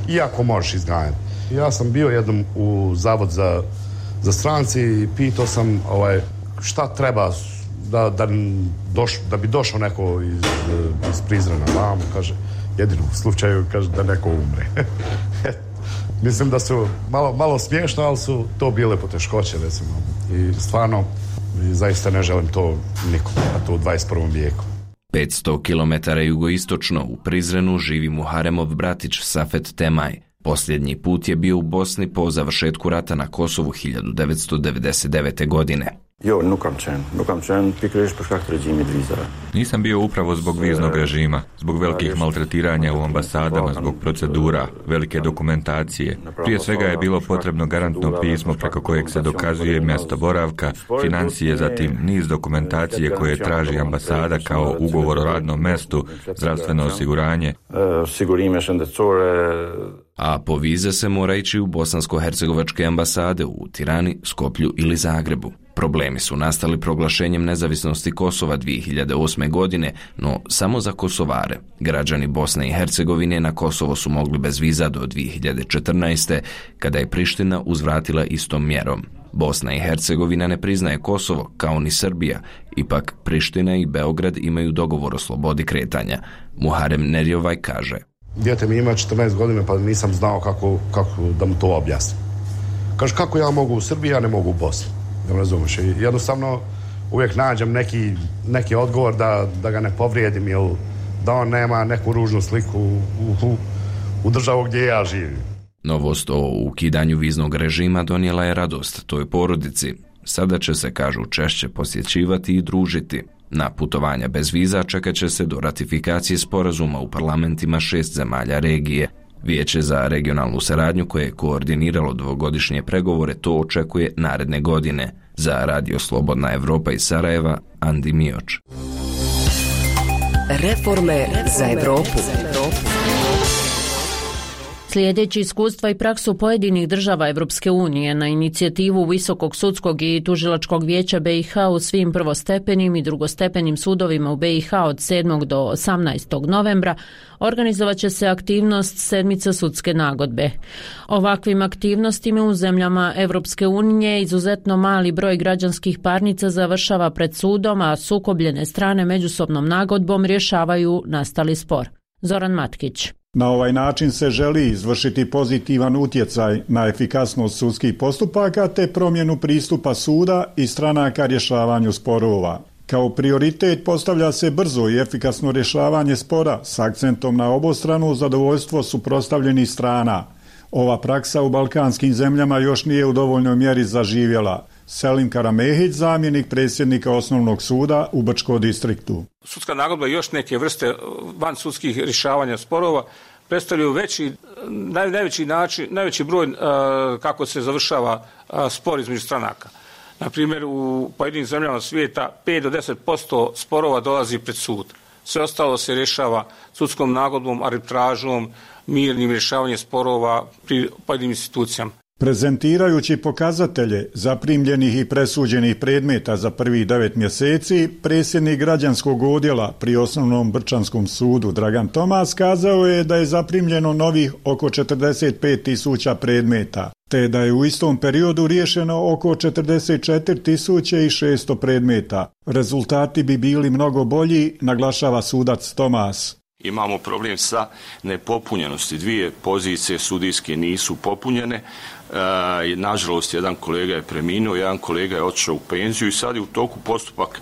Iako možeš izganjati. Ja sam bio jednom u Zavod za, za stranci i pitao sam ovaj, šta treba da, da, doš, da bi došao neko iz, iz Prizrena. Vamo, kaže, jedino u slučaju kaže da neko umre. Mislim da su malo, malo smiješno, ali su to bile poteškoće, recimo. I stvarno, i zaista ne želim to nikome, a to u dvadeset prvom vijeku. petsto kilometara jugoistočno u Prizrenu živi Muharemov bratić Safet Temaj. Posljednji put je bio u Bosni po završetku rata na Kosovu hiljadu devetsto devedeset devete. godine. Jo, nukam čen, nukam čen, ti kriš po škakt režimi viza. Nisam bio upravo zbog viznog režima, zbog velikih maltretiranja u ambasadama, zbog procedura, velike dokumentacije. Prije svega je bilo potrebno garantno pismo preko kojeg se dokazuje mjesto boravka, financije, zatim niz dokumentacije koje traži ambasada kao ugovor o radnom mjestu, zdravstveno osiguranje. A po vize se mora ići u bosansko-hercegovačke ambasade u Tirani, Skoplju ili Zagrebu. Problemi su nastali proglašenjem nezavisnosti Kosova dvije hiljade osme. godine, no samo za Kosovare. Građani Bosne i Hercegovine na Kosovo su mogli bez viza do dvije hiljade četrnaeste. kada je Priština uzvratila istom mjerom. Bosna i Hercegovina ne priznaje Kosovo, kao ni Srbija, ipak Priština i Beograd imaju dogovor o slobodi kretanja. Muharem Nerjovaj kaže: Dijete mi ima četrnaest godina pa nisam znao kako, kako da mu to objasnim. Kaže, kako ja mogu u Srbiji, ja ne mogu u Bosni. Ne razumiješ. Jednostavno uvijek nađem neki, neki odgovor da, da ga ne povrijedim ili da on nema neku ružnu sliku u, u, u državu gdje ja živim. Novost o ukidanju viznog režima donijela je radost toj porodici. Sada će se, kažu, češće posjećivati i družiti. Na putovanja bez viza čekat će se do ratifikacije sporazuma u parlamentima šest zemalja regije. Vijeće za regionalnu saradnju koje je koordiniralo dvogodišnje pregovore to očekuje naredne godine. Za Radio Slobodna Evropa iz Sarajeva, Andi Mioč. Reforme za Evropu. Slijedeći iskustva i praksu pojedinih država Evropske unije na inicijativu Visokog sudskog i tužilačkog vijeća B i H u svim prvostepenim i drugostepenim sudovima u B i H od sedmog do osamnaestog novembra, organizovat će se aktivnost sedmice sudske nagodbe. Ovakvim aktivnostima u zemljama Evropske unije izuzetno mali broj građanskih parnica završava pred sudom, a sukobljene strane međusobnom nagodbom rješavaju nastali spor. Zoran Matkić. Na ovaj način se želi izvršiti pozitivan utjecaj na efikasnost sudskih postupaka te promjenu pristupa suda i stranaka rješavanju sporova. Kao prioritet postavlja se brzo i efikasno rješavanje spora s akcentom na obostrano zadovoljstvo suprotstavljenih strana. Ova praksa u balkanskim zemljama još nije u dovoljnoj mjeri zaživjela. Selim Karamehić, zamjenik predsjednika Osnovnog suda u Brčkom distriktu. Sudska nagodba i još neke vrste van sudskih rješavanja sporova predstavljaju veći, naj, najveći, način, najveći broj uh, kako se završava uh, spor između stranaka. Na primjer, u pojedinim zemljama svijeta pet do deset posto sporova dolazi pred sud. Sve ostalo se rješava sudskom nagodbom, arbitražom, mirnim rješavanjem sporova pri pojedinim institucijama. Prezentirajući pokazatelje zaprimljenih i presuđenih predmeta za prvih devet mjeseci, predsjednik građanskog odjela pri Osnovnom Brčanskom sudu Dragan Tomas kazao je da je zaprimljeno novih oko četrdeset pet tisuća predmeta, te da je u istom periodu riješeno oko četrdeset četiri tisuće šesto predmeta. Rezultati bi bili mnogo bolji, naglašava sudac Tomas. Imamo problem sa nepopunjenosti. Dvije pozicije sudijske nisu popunjene. E, nažalost, jedan kolega je preminuo, jedan kolega je otišao u penziju i sad je u toku postupak,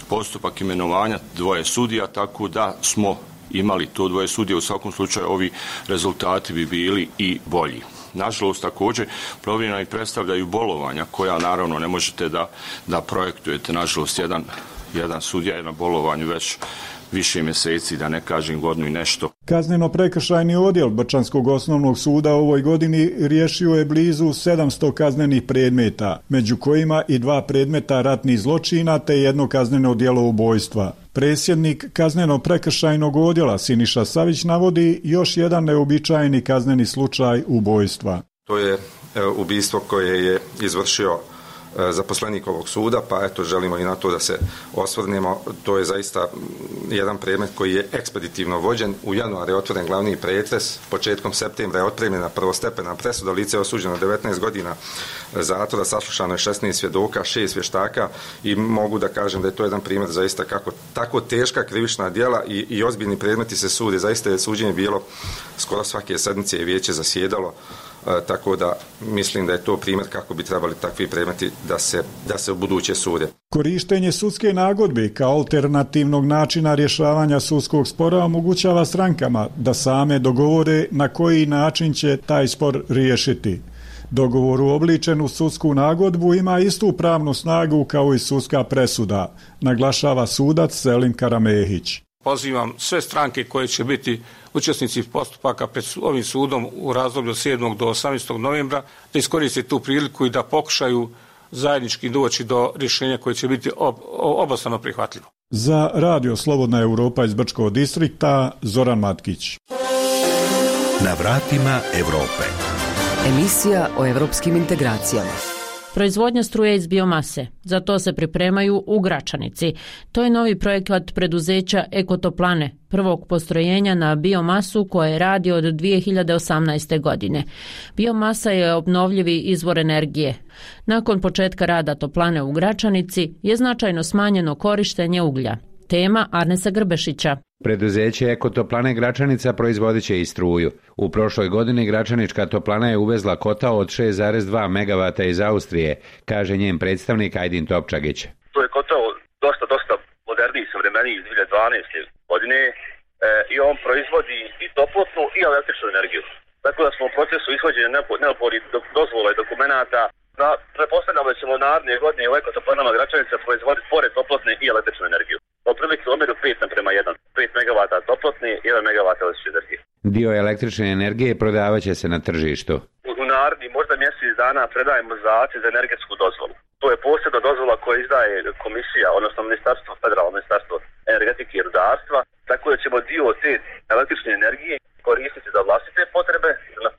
postupak imenovanja dvoje sudija, tako da smo imali to dvoje sudija. U svakom slučaju ovi rezultati bi bili i bolji. Nažalost, također, problem i predstavljaju bolovanja koja naravno ne možete da, da projektujete. Nažalost, jedan, jedan sudija je na bolovanju već više mjeseci, da ne kažem godinu i nešto. Kazneno-prekršajni odjel Brčanskog osnovnog suda u ovoj godini riješio je blizu sedamsto kaznenih predmeta, među kojima i dva predmeta ratnih zločina te jedno kazneno djelo ubojstva. Predsjednik kazneno-prekršajnog odjela Siniša Savić navodi još jedan neobičajeni kazneni slučaj ubojstva. To je ubojstvo koje je izvršio zaposlenik ovog suda, pa eto želimo i na to da se osvrnemo. To je zaista jedan predmet koji je ekspeditivno vođen. U januaru je otvoren glavni pretres, početkom septembra je otpremljena prvostepena presuda, lice je osuđeno devetnaest godina zatvora, saslušano je šesnaest svjedoka, šest vještaka i mogu da kažem da je to jedan primjer zaista kako tako teška krivična djela i, i ozbiljni predmeti se sude. Zaista je suđenje bilo skoro svake sedmice i vijeće zasjedalo. E, tako da mislim da je to primjer kako bi trebali takvi predmeti da se, da se u buduće sude. Korištenje sudske nagodbe kao alternativnog načina rješavanja sudskog spora omogućava strankama da same dogovore na koji način će taj spor riješiti. Dogovor uobličen u sudsku nagodbu ima istu pravnu snagu kao i sudska presuda, naglašava sudac Selim Karamehić. Pozivam sve stranke koje će biti učesnici postupaka pred ovim sudom u razdoblju od sedmog do osamnaestog novembra da iskoriste tu priliku i da pokušaju zajednički doći do rješenja koje će biti ob, obostrano prihvatljivo. Za Radio Slobodna Europa iz Brčkog distrikta, Zoran Matkić. Na vratima Europe. Emisija o evropskim integracijama. Proizvodnja struje iz biomase. Za to se pripremaju u Gračanici. To je novi projekat preduzeća Ekotoplane, prvog postrojenja na biomasu koje radi od dvije hiljade osamnaeste. godine. Biomasa je obnovljivi izvor energije. Nakon početka rada toplane u Gračanici je značajno smanjeno korištenje uglja. Tema Arnesa Grbešića. Preduzeće Ekotoplane Gračanica proizvodit će i struju. U prošloj godini Gračanička toplana je uvezla kotao od šest zarez dva megavata iz Austrije, kaže njen predstavnik Ajdin Topčagić. To je kotao dosta, dosta moderniji, savremeniji iz dvije hiljade dvanaeste. godine e, i on proizvodi i toplotnu i električnu energiju. Tako da smo u procesu ishođenja neophodnih dozvola i dokumenata. Na, pretpostavljamo da ćemo naredne godine u Ekotoplanama Gračanica proizvoditi pored toplotne i električnu energiju. Otprilike u omjeru pet naprema jedan. pet megavata toplotne i jedan megavat električne energije. Dio električne energije prodavat će se na tržištu. U, u naredni možda mjesec dana predajemo zahtjev za energetsku dozvolu. To je posebna dozvola koja izdaje komisija, odnosno ministarstvo, federalno ministarstvo energetike i rudarstva, tako da ćemo dio te električne energije koristiti za vlastite potrebe, za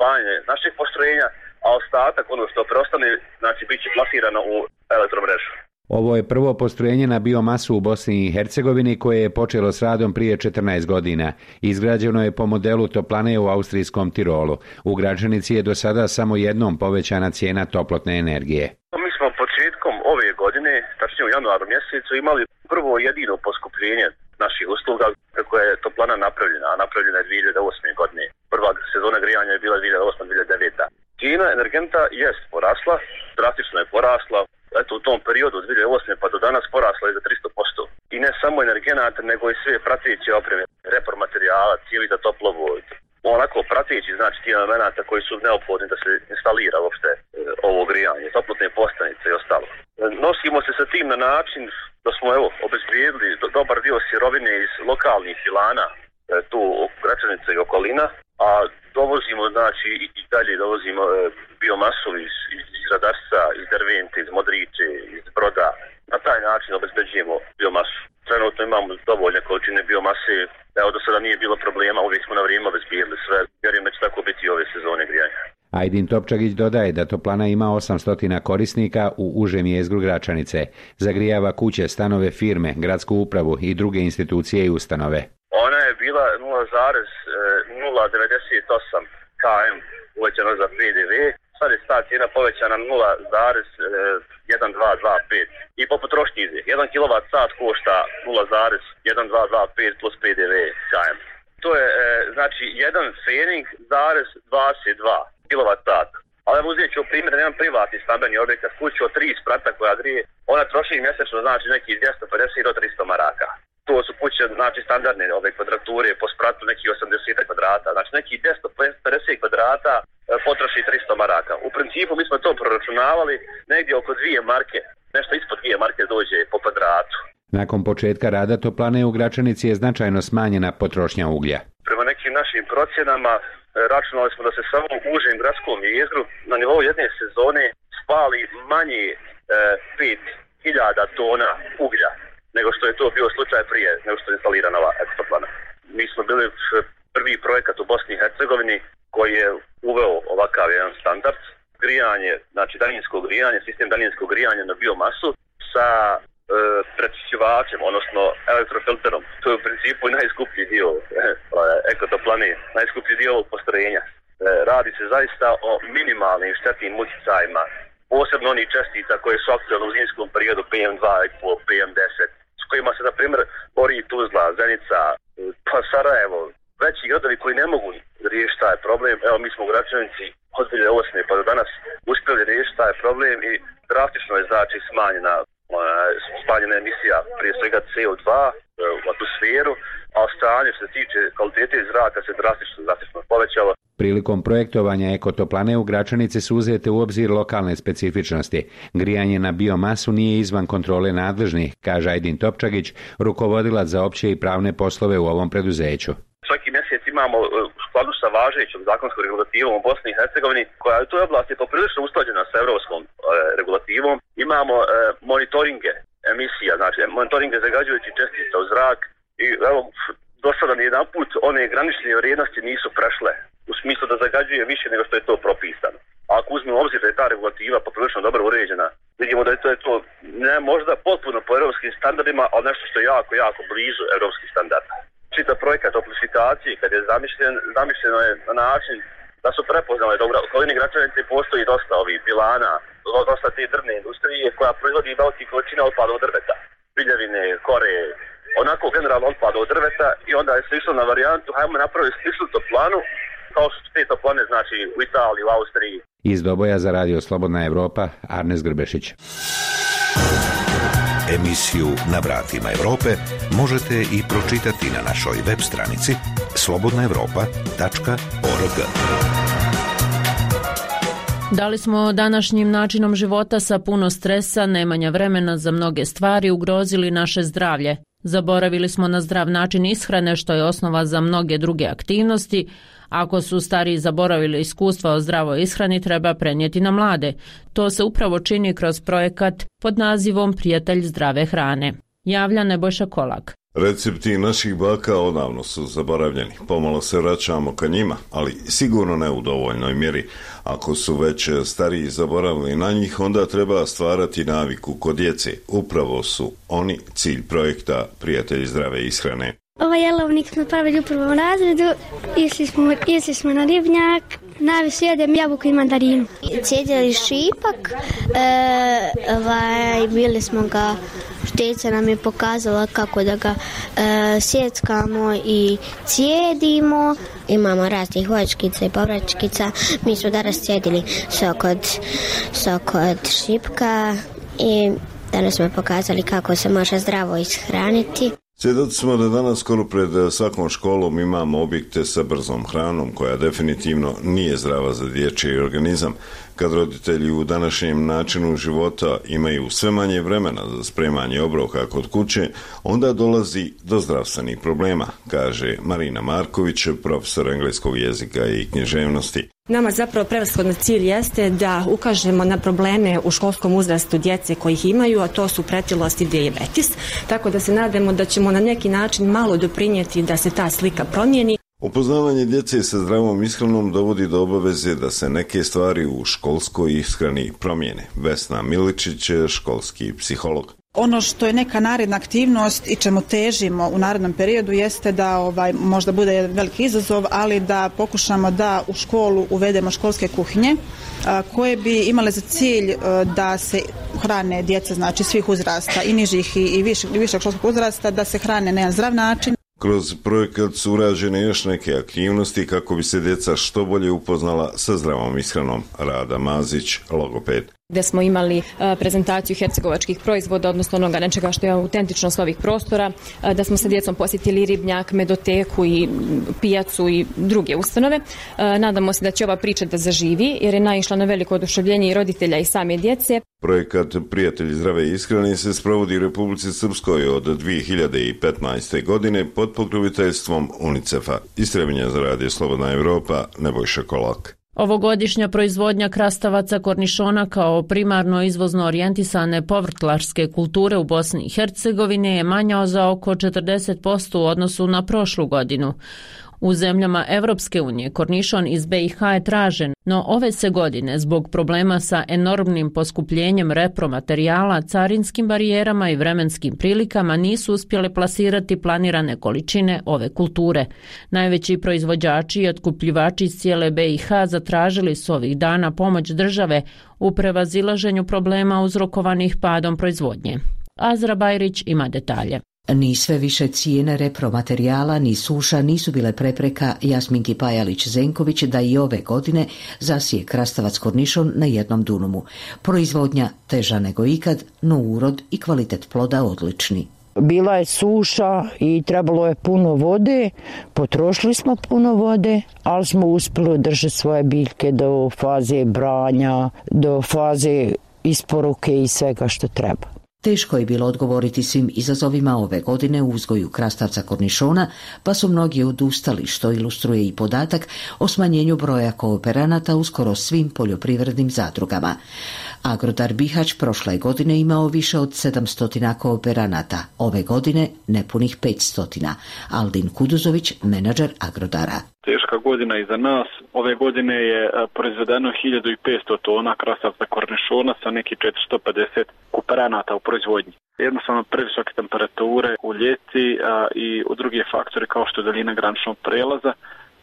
postrojenja, a ostatak, ono što preostane, znači bit će plasirano u elektromrežu. Ovo je prvo postrojenje na biomasu u Bosni i Hercegovini koje je počelo s radom prije četrnaest godina. Izgrađeno je po modelu toplane u austrijskom Tirolu. U Gračanici je do sada samo jednom povećana cijena toplotne energije. Mi smo početkom ove godine, tačnije u januaru mjesecu, imali prvo jedino poskupljenje naših usluga kako je toplana napravljena, a napravljena je dvije hiljade osme. godine. Prva sezona grijanja je bila dvije hiljade osma. dvije hiljade deveta. Cijena energenta jest porasla, drastično je porasla. Eto, u tom periodu od dvije hiljade osme. pa do danas porasla je za tristo posto. I ne samo energenata, nego i sve prateće opreme, repromaterijala, cijevi za toplovod. Onako prateći, znači ti elemenata koji su neophodni da se instalira uopšte e, ovo grijanje, toplotne postanice i ostalo. E, nosimo se sa tim na način da smo evo obezbijedili do, dobar dio sirovine iz lokalnih pilana, e, tu Gračanica i okolina, a dovozimo, znači i, i dalje dovozimo e, biomasu iz, iz, iz Radarca, iz Dervente, iz Modriče, iz Broda. Na taj način obezbeđujemo biomasu. Trenutno imamo dovoljne količine biomase, evo do sada nije bilo problema, uvijek smo na vrijeme obezbijedili sve, vjerujem da će tako biti i ove sezone grijanja. Ajdin Topčagić dodaje da toplana ima osamsto korisnika u užem jezgru Gračanice. Zagrijava kuće, stanove, firme, gradsku upravu i druge institucije i ustanove. Ona je bila nula zarez nula devedeset osam kilometara uvećano za P D V, sad je ta cijena povećana nula zarez jedan dva dva pet i po potrošnji ide. jedan kilovat sat košta nula zarez jedan dva dva pet plus P D V kilometara. To je znači jedan Fening zarez dvadeset dva kilovat sat. Ali uzet ću primjer da imam privatni stambeni objekat, kuću od tri sprata koja grije, ona troši mjesečno znači neki dvjesto pedeset do tristo maraka. To su kuće, znači standardne ove kvadrature, po spratu neki osamdeset kvadrata, znači neki dvjesto pedeset kvadrata e, potroši tristo maraka. U principu mi smo to proračunavali negdje oko dvije marke, nešto ispod dvije marke dođe po kvadratu. Nakon početka rada toplane u Gračanici je značajno smanjena potrošnja uglja. Prema nekim našim procjenama e, računali smo da se samo u užem gradskom jezgru na nivou jedne sezone spali manje e, pet hiljada tona uglja nego što je to bio slučaj prije, nego što je instalirana ova eksoplana. Mi smo bili prvi projekat u Bosni i Hercegovini koji je uveo ovakav jedan standard. Grijanje, znači daljinsko grijanje, sistem daljinskog grijanja na biomasu sa e, prečišćivačem, odnosno elektrofilterom. To je u principu najskuplji dio e, ekotoplane, najskuplji dio ovog postrojenja. E, radi se zaista o minimalnim štetnim utjecajima, posebno onih čestica koje su aktualne u zimskom periodu P M dva i P M deset, s kojima se, na primjer, bori Tuzla, Zenica, pa Sarajevo, veći gradovi koji ne mogu riješiti taj problem. Evo, mi smo u Gračanici od dvije hiljade osme. pa do danas uspjeli riješiti taj problem i drastično je znači smanjena, smanjena emisija prije svega C O dva u atmosferu, a stanje što se tiče kvalitete zraka se drastično, drastično povećalo. Prilikom projektovanja ekotoplane u Gračanici su uzete u obzir lokalne specifičnosti. Grijanje na biomasu nije izvan kontrole nadležnih, kaže Ajdin Topčagić, rukovodilac za opće i pravne poslove u ovom preduzeću. Svaki mjesec imamo u skladu sa važećom zakonskom regulativom u Bosni i Hercegovini, koja u toj oblasti je poprilično usklađena sa europskom e, regulativom. Imamo e, monitoringe emisija, znači monitoringe zagađujućih čestica u zrak i evo, do sada nijedan put one granične vrijednosti nisu prešle u smislu da zagađuje više nego što je to propisano. A ako uzmemo obzir da je ta regulativa poprilično dobro uređena, vidimo da je to, je to ne možda potpuno po europskim standardima, ali nešto što je jako, jako blizu europskih standarda. Čitav projekat toplifikacije, kad je zamišljen, zamišljeno je na način da su prepoznali da u okolini Gračanice postoji dosta ovih pilana, dosta te drvne industrije koja proizvodi velike količine otpada od drveta, piljevine, kore, onako generalno otpada od drveta i onda je se išlo na varijantu, hajmo napraviti sličnu toplanu kao što te toplane znači u Italiji, u Austriji. Iz Doboja za radio Slobodna Evropa, Arnes Grbešić. Emisiju Na vratima Evrope možete i pročitati na našoj web stranici slobodna evropa tačka org. Da li smo današnjim načinom života sa puno stresa, nemanja vremena za mnoge stvari ugrozili naše zdravlje? Zaboravili smo na zdrav način ishrane, što je osnova za mnoge druge aktivnosti. Ako su stariji zaboravili iskustva o zdravoj ishrani, treba prenijeti na mlade. To se upravo čini kroz projekat pod nazivom Prijatelj zdrave hrane. Javlja Nebojša Kolak. Recepti naših baka odavno su zaboravljeni. Pomalo se vraćamo ka njima, ali sigurno ne u dovoljnoj mjeri. Ako su već stariji zaboravili na njih, onda treba stvarati naviku kod djece. Upravo su oni cilj projekta Prijatelji zdrave ishrane. Ovaj jelovnik smo pravili u prvom razredu, išli smo, išli smo na ribnjak, najviše jedem jabuku i mandarinu. Cijedili šipak, e, ovaj, bili smo ga, šteca nam je pokazala kako da ga e, sjeckamo i cijedimo. Imamo raznih voćkica i povraćkica, mi smo danas cijedili sok od, sok od šipka i danas smo pokazali kako se može zdravo ishraniti. Svjedoci smo da danas skoro pred svakom školom imamo objekte sa brzom hranom koja definitivno nije zdrava za dječji organizam. Kad roditelji u današnjem načinu života imaju sve manje vremena za spremanje obroka kod kuće, onda dolazi do zdravstvenih problema, kaže Marina Marković, profesor engleskog jezika i književnosti. Nama zapravo prevashodno cilj jeste da ukažemo na probleme u školskom uzrastu djece koji ih imaju, a to su pretilost i dijabetes, tako da se nadamo da ćemo na neki način malo doprinijeti da se ta slika promijeni. Upoznavanje djece sa zdravom ishranom dovodi do obaveze da se neke stvari u školskoj ishrani promijene. Vesna Miličić, školski psiholog. Ono što je neka naredna aktivnost i čemu težimo u narednom periodu jeste da ovaj, možda bude jedan veliki izazov, ali da pokušamo da u školu uvedemo školske kuhinje a, koje bi imale za cilj a, da se hrane djeca, znači svih uzrasta, i nižih i, i višeg, višeg školskog uzrasta, da se hrane na jedan zdrav način. Kroz projekat su urađene još neke aktivnosti kako bi se djeca što bolje upoznala sa zdravom ishranom. Rada Mazić, logoped. Gdje smo imali prezentaciju hercegovačkih proizvoda, odnosno onoga nečega što je autentično s ovih prostora, da smo sa djecom posjetili ribnjak, medoteku i pijacu i druge ustanove. Nadamo se da će ova priča da zaživi, jer je naišla na veliko oduševljenje i roditelja i same djece. Projekat Prijatelji zdrave ishrane se sprovodi u Republici Srpskoj od dvije hiljade petnaeste. godine pod pokroviteljstvom UNICEF-a. Iz Trebinja za radio Slobodna Evropa, Nebojša Kolak. Ovogodišnja proizvodnja krastavaca kornišona kao primarno izvozno orijentisane povrtlarske kulture u Bosni i Hercegovini je manja za oko četrdeset posto u odnosu na prošlu godinu. U zemljama Evropske unije kornišon iz be i ha je tražen, no ove se godine zbog problema sa enormnim poskupljenjem repromaterijala, carinskim barijerama i vremenskim prilikama nisu uspjele plasirati planirane količine ove kulture. Najveći proizvođači i otkupljivači iz cijele be i ha zatražili su ovih dana pomoć države u prevazilaženju problema uzrokovanih padom proizvodnje. Azra Bajrić ima detalje. Ni sve više cijene repromaterijala ni suša nisu bile prepreka Jasminki Pajalić-Zenković da i ove godine zasije krastavac kornišon na jednom dunumu. Proizvodnja teža nego ikad, no urod i kvalitet ploda odlični. Bila je suša i trebalo je puno vode, potrošili smo puno vode, ali smo uspjeli održati svoje biljke do faze branja, do faze isporuke i svega što treba. Teško je bilo odgovoriti svim izazovima ove godine u uzgoju krastavca kornišona, pa su mnogi odustali, što ilustruje i podatak o smanjenju broja kooperanata u skoro svim poljoprivrednim zadrugama. Agrodar Bihać prošle godine imao više od sedamsto kooperanata, ove godine nepunih petsto. Aldin Kuduzović, menadžer Agrodara. Teška godina iza nas. Ove godine je proizvedeno hiljadu petsto tona krastavca kornišona sa neki četiristo pedeset kooperanata u proizvodnji. Jednostavno previsoke temperature u ljeti a, i u drugi faktori kao što je daljina graničnog prelaza,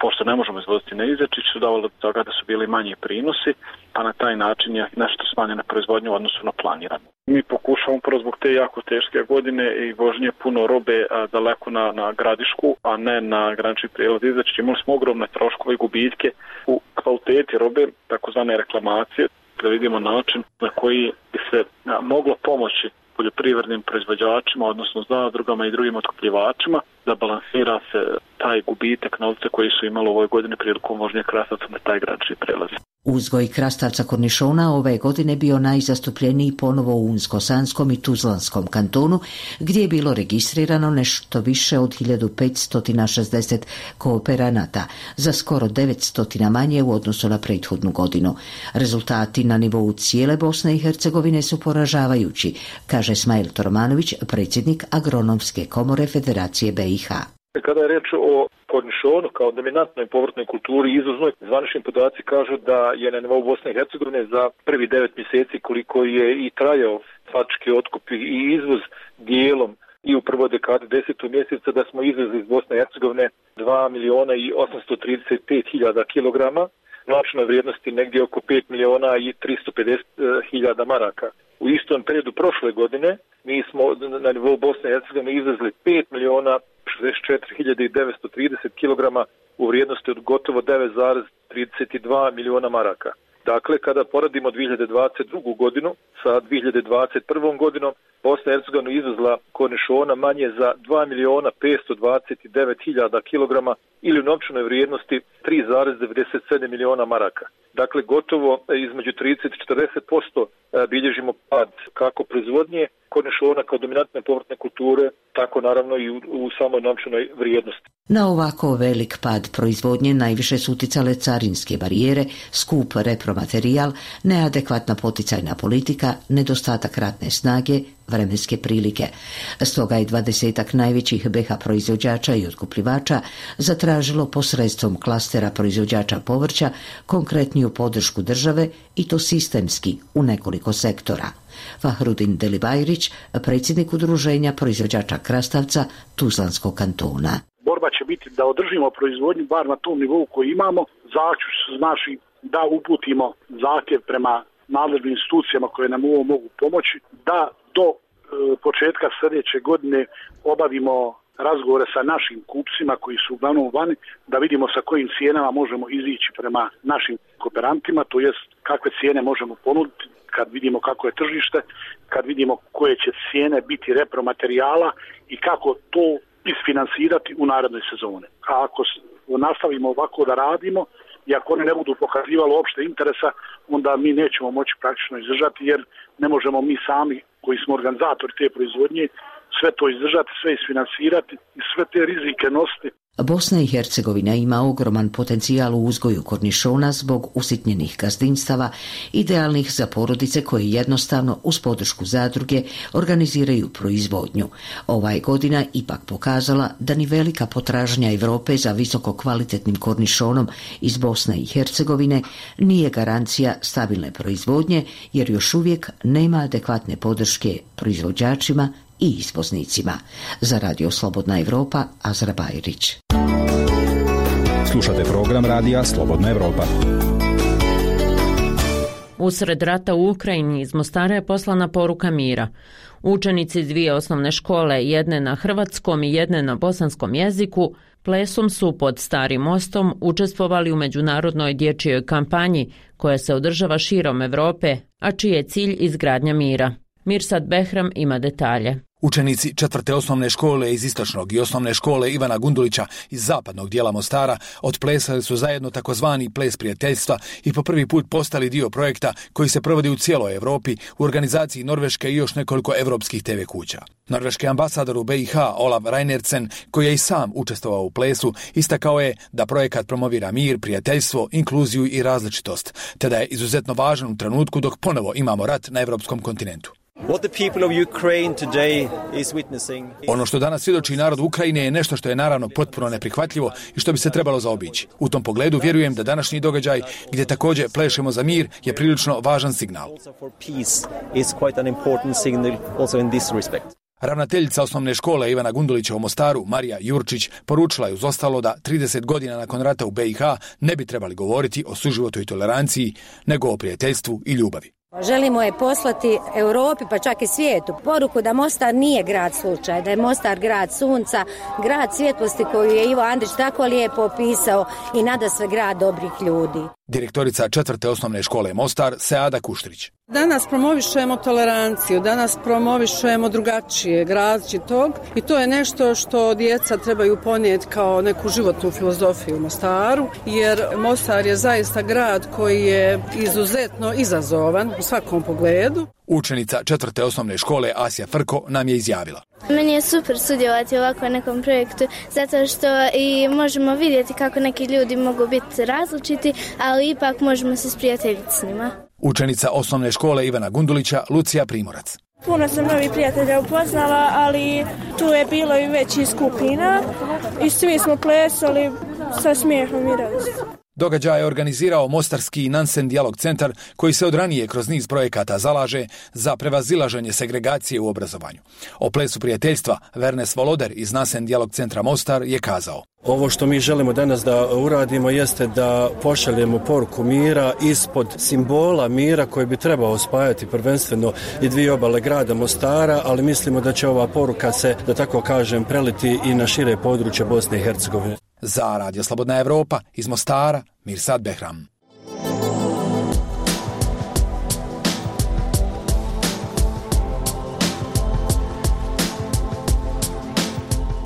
pošto ne možemo izvoziti na Izečić, su davali do toga da su bili manji prinosi, a na taj način je nešto smanjena proizvodnja u odnosu na planirano. Mi pokušavamo prvo zbog te jako teške godine i vožnje puno robe a, daleko na, na gradišku, a ne na granični prijelaz Izečić. Imali smo ogromne troškove i gubitke u kvaliteti robe, takozvane reklamacije, da vidimo način na koji bi se a, moglo pomoći poljoprivrednim proizvođačima, odnosno zadrugama i drugim otkupljivačima, da balansira se taj gubitak novca koji su imali u ovoj godini prilikom vožnje krastavca na taj granični prelaz. Uzgoj krastavca kornišona ove godine bio najzastupljeniji ponovo u Unsko-Sanskom i Tuzlanskom kantonu, gdje je bilo registrirano nešto više od hiljadu petsto šezdeset kooperanata, za skoro devetsto manje u odnosu na prethodnu godinu. Rezultati na nivou cijele Bosne i Hercegovine su poražavajući, kaže Smajl Tormanović, predsjednik Agronomske komore Federacije B i H. Kada je reč o kornišonu kao dominantnoj povrtnoj kulturi i izvoznoj, zvanični podaci kažu da je na nivou Bosne i Hercegovine za prvi devet mjeseci koliko je i trajao faktički otkup i izvoz dijelom i u prvoj dekadi desetog mjeseca, da smo izvezli iz Bosne i Hercegovine dva milijuna i osamsto trideset pet hiljada kilograma, novčanoj vrijednosti negdje oko pet milijuna i tristo pedeset hiljada maraka. U istom periodu prošle godine mi smo na nivou Bosne i Hercegovine izvezli pet milijuna šezdeset četiri hiljade devetsto trideset kilograma u vrijednosti od gotovo devet zarez trideset dva milijuna maraka. Dakle, kada poredimo dvije hiljade dvadeset drugu godinu sa dvije hiljade dvadeset prvom godinom, Bosna i Hercegovina izvezla kornišona manje za dva milijuna petsto dvadeset devet hiljada kilograma ili u novčanoj vrijednosti tri zarez devedeset sedam milijuna maraka. Dakle, gotovo između trideset do četrdeset posto bilježimo pad kako proizvodnje kornišona kao dominantne povrtne kulture, tako naravno i u, u samoj novčanoj vrijednosti. Na ovako velik pad proizvodnje najviše su uticale carinske barijere, skup repromaterijal, neadekvatna poticajna politika, nedostatak radne snage, vremenske prilike. Stoga je dvadesetak najvećih B i H proizvođača i otkupljivača zatražilo posredstvom klastera proizvođača povrća konkretniju podršku države i to sistemski u nekoliko sektora. Fahrudin Delibajrić, predsjednik udruženja proizvođača krastavca Tuzlanskog kantona. Borba će biti da održimo proizvodnju bar na tom nivou koji imamo. Zaključ znači da uputimo zahtjev prema nadležnim institucijama koje nam ovo mogu pomoći, da do e, početka sljedeće godine obavimo razgovore sa našim kupcima koji su uglavnom vani, da vidimo sa kojim cijenama možemo izići prema našim kooperantima, to jest kakve cijene možemo ponuditi kad vidimo kako je tržište, kad vidimo koje će cijene biti repromaterijala i kako to isfinansirati u narednoj sezoni. A ako nastavimo ovako da radimo i ako one ne budu pokazivali opšte interesa, onda mi nećemo moći praktično izdržati, jer ne možemo mi sami koji smo organizatori te proizvodnje sve to izdržati, sve isfinansirati i sve te rizike nositi. Bosna i Hercegovina ima ogroman potencijal u uzgoju kornišona zbog usitnjenih gazdinstava, idealnih za porodice koje jednostavno uz podršku zadruge organiziraju proizvodnju. Ova je godina ipak pokazala da ni velika potražnja Europe za visoko kvalitetnim kornišonom iz Bosne i Hercegovine nije garancija stabilne proizvodnje, jer još uvijek nema adekvatne podrške proizvođačima i izvoznicima. Za Radio Slobodna Evropa, Azra Bajrić. Slušate program Radija Slobodna Evropa. Usred rata u Ukrajini iz Mostara je poslana poruka mira. Učenici dvije osnovne škole, jedne na hrvatskom i jedne na bosanskom jeziku, plesom su pod Starim mostom učestvovali u međunarodnoj dječjoj kampanji koja se održava širom Europe, a čiji je cilj izgradnja mira. Mirsad Behram ima detalje. Učenici četvrte osnovne škole iz istočnog i osnovne škole Ivana Gundulića iz zapadnog dijela Mostara otplesali su zajedno takozvani ples prijateljstva i po prvi put postali dio projekta koji se provodi u cijeloj Europi u organizaciji Norveške i još nekoliko evropskih te ve kuća. Norveški ambasador u be i ha Olav Reinertsen, koji je i sam učestvovao u plesu, istakao je da projekat promovira mir, prijateljstvo, inkluziju i različitost, te da je izuzetno važan u trenutku dok ponovo imamo rat na evropskom kontinentu. Ono što danas svjedoči narod Ukrajine je nešto što je naravno potpuno neprihvatljivo i što bi se trebalo zaobići. U tom pogledu vjerujem da današnji događaj, gdje također plešemo za mir, je prilično važan signal. Ravnateljica osnovne škole Ivana Gundulića u Mostaru, Marija Jurčić, poručila je uz ostalo da trideset godina nakon rata u be i ha ne bi trebali govoriti o suživotu i toleranciji, nego o prijateljstvu i ljubavi. Želimo je poslati Europi, pa čak i svijetu, poruku da Mostar nije grad slučaj, da je Mostar grad sunca, grad svjetlosti koju je Ivo Andrić tako lijepo opisao i nadasve grad dobrih ljudi. Direktorica četvrte osnovne škole Mostar, Seada Kuštrić. Danas promovišemo toleranciju, danas promovišemo drugačijeg, različitog i to je nešto što djeca trebaju ponijeti kao neku životnu filozofiju u Mostaru, jer Mostar je zaista grad koji je izuzetno izazovan u svakom pogledu. Učenica četvrte osnovne škole Asja Frko nam je izjavila. Meni je super sudjelovati u ovakvom nekom projektu, zato što i možemo vidjeti kako neki ljudi mogu biti različiti, ali ipak možemo se sprijateljiti s njima. Učenica osnovne škole Ivana Gundulića, Lucija Primorac. Puno sam novih prijatelja upoznala, ali tu je bilo i većih skupina i svi smo plesali sa smijehom i radostom. Događaj je organizirao Mostarski Nansen dijalog centar koji se od ranije kroz niz projekata zalaže za prevazilaženje segregacije u obrazovanju. O plesu prijateljstva Vernes Voloder iz Nansen dijalog centra Mostar je kazao. Ovo što mi želimo danas da uradimo jeste da pošaljemo poruku mira ispod simbola mira koji bi trebao spajati prvenstveno i dvije obale grada Mostara, ali mislimo da će ova poruka se, da tako kažem, preliti i na šire područje Bosne i Hercegovine. Za Radio Slobodna Evropa iz Mostara, Mirsad Behram.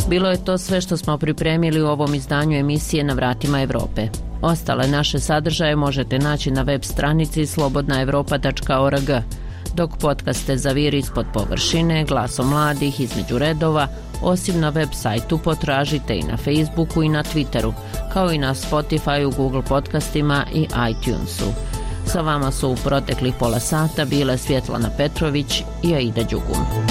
Bilo je to sve što smo pripremili u ovom izdanju emisije Na vratima Evrope. Ostale naše sadržaje možete naći na web stranici slobodna evropa tačka org, dok podcaste Zaviri ispod površine, Glasom mladih, Između redova, osim na web sajtu potražite i na Facebooku i na Twitteru, kao i na Spotifyu, Google podcastima i iTunesu. Sa vama su u proteklih pola sata bile Svjetlana Petrović i Aida Đugum.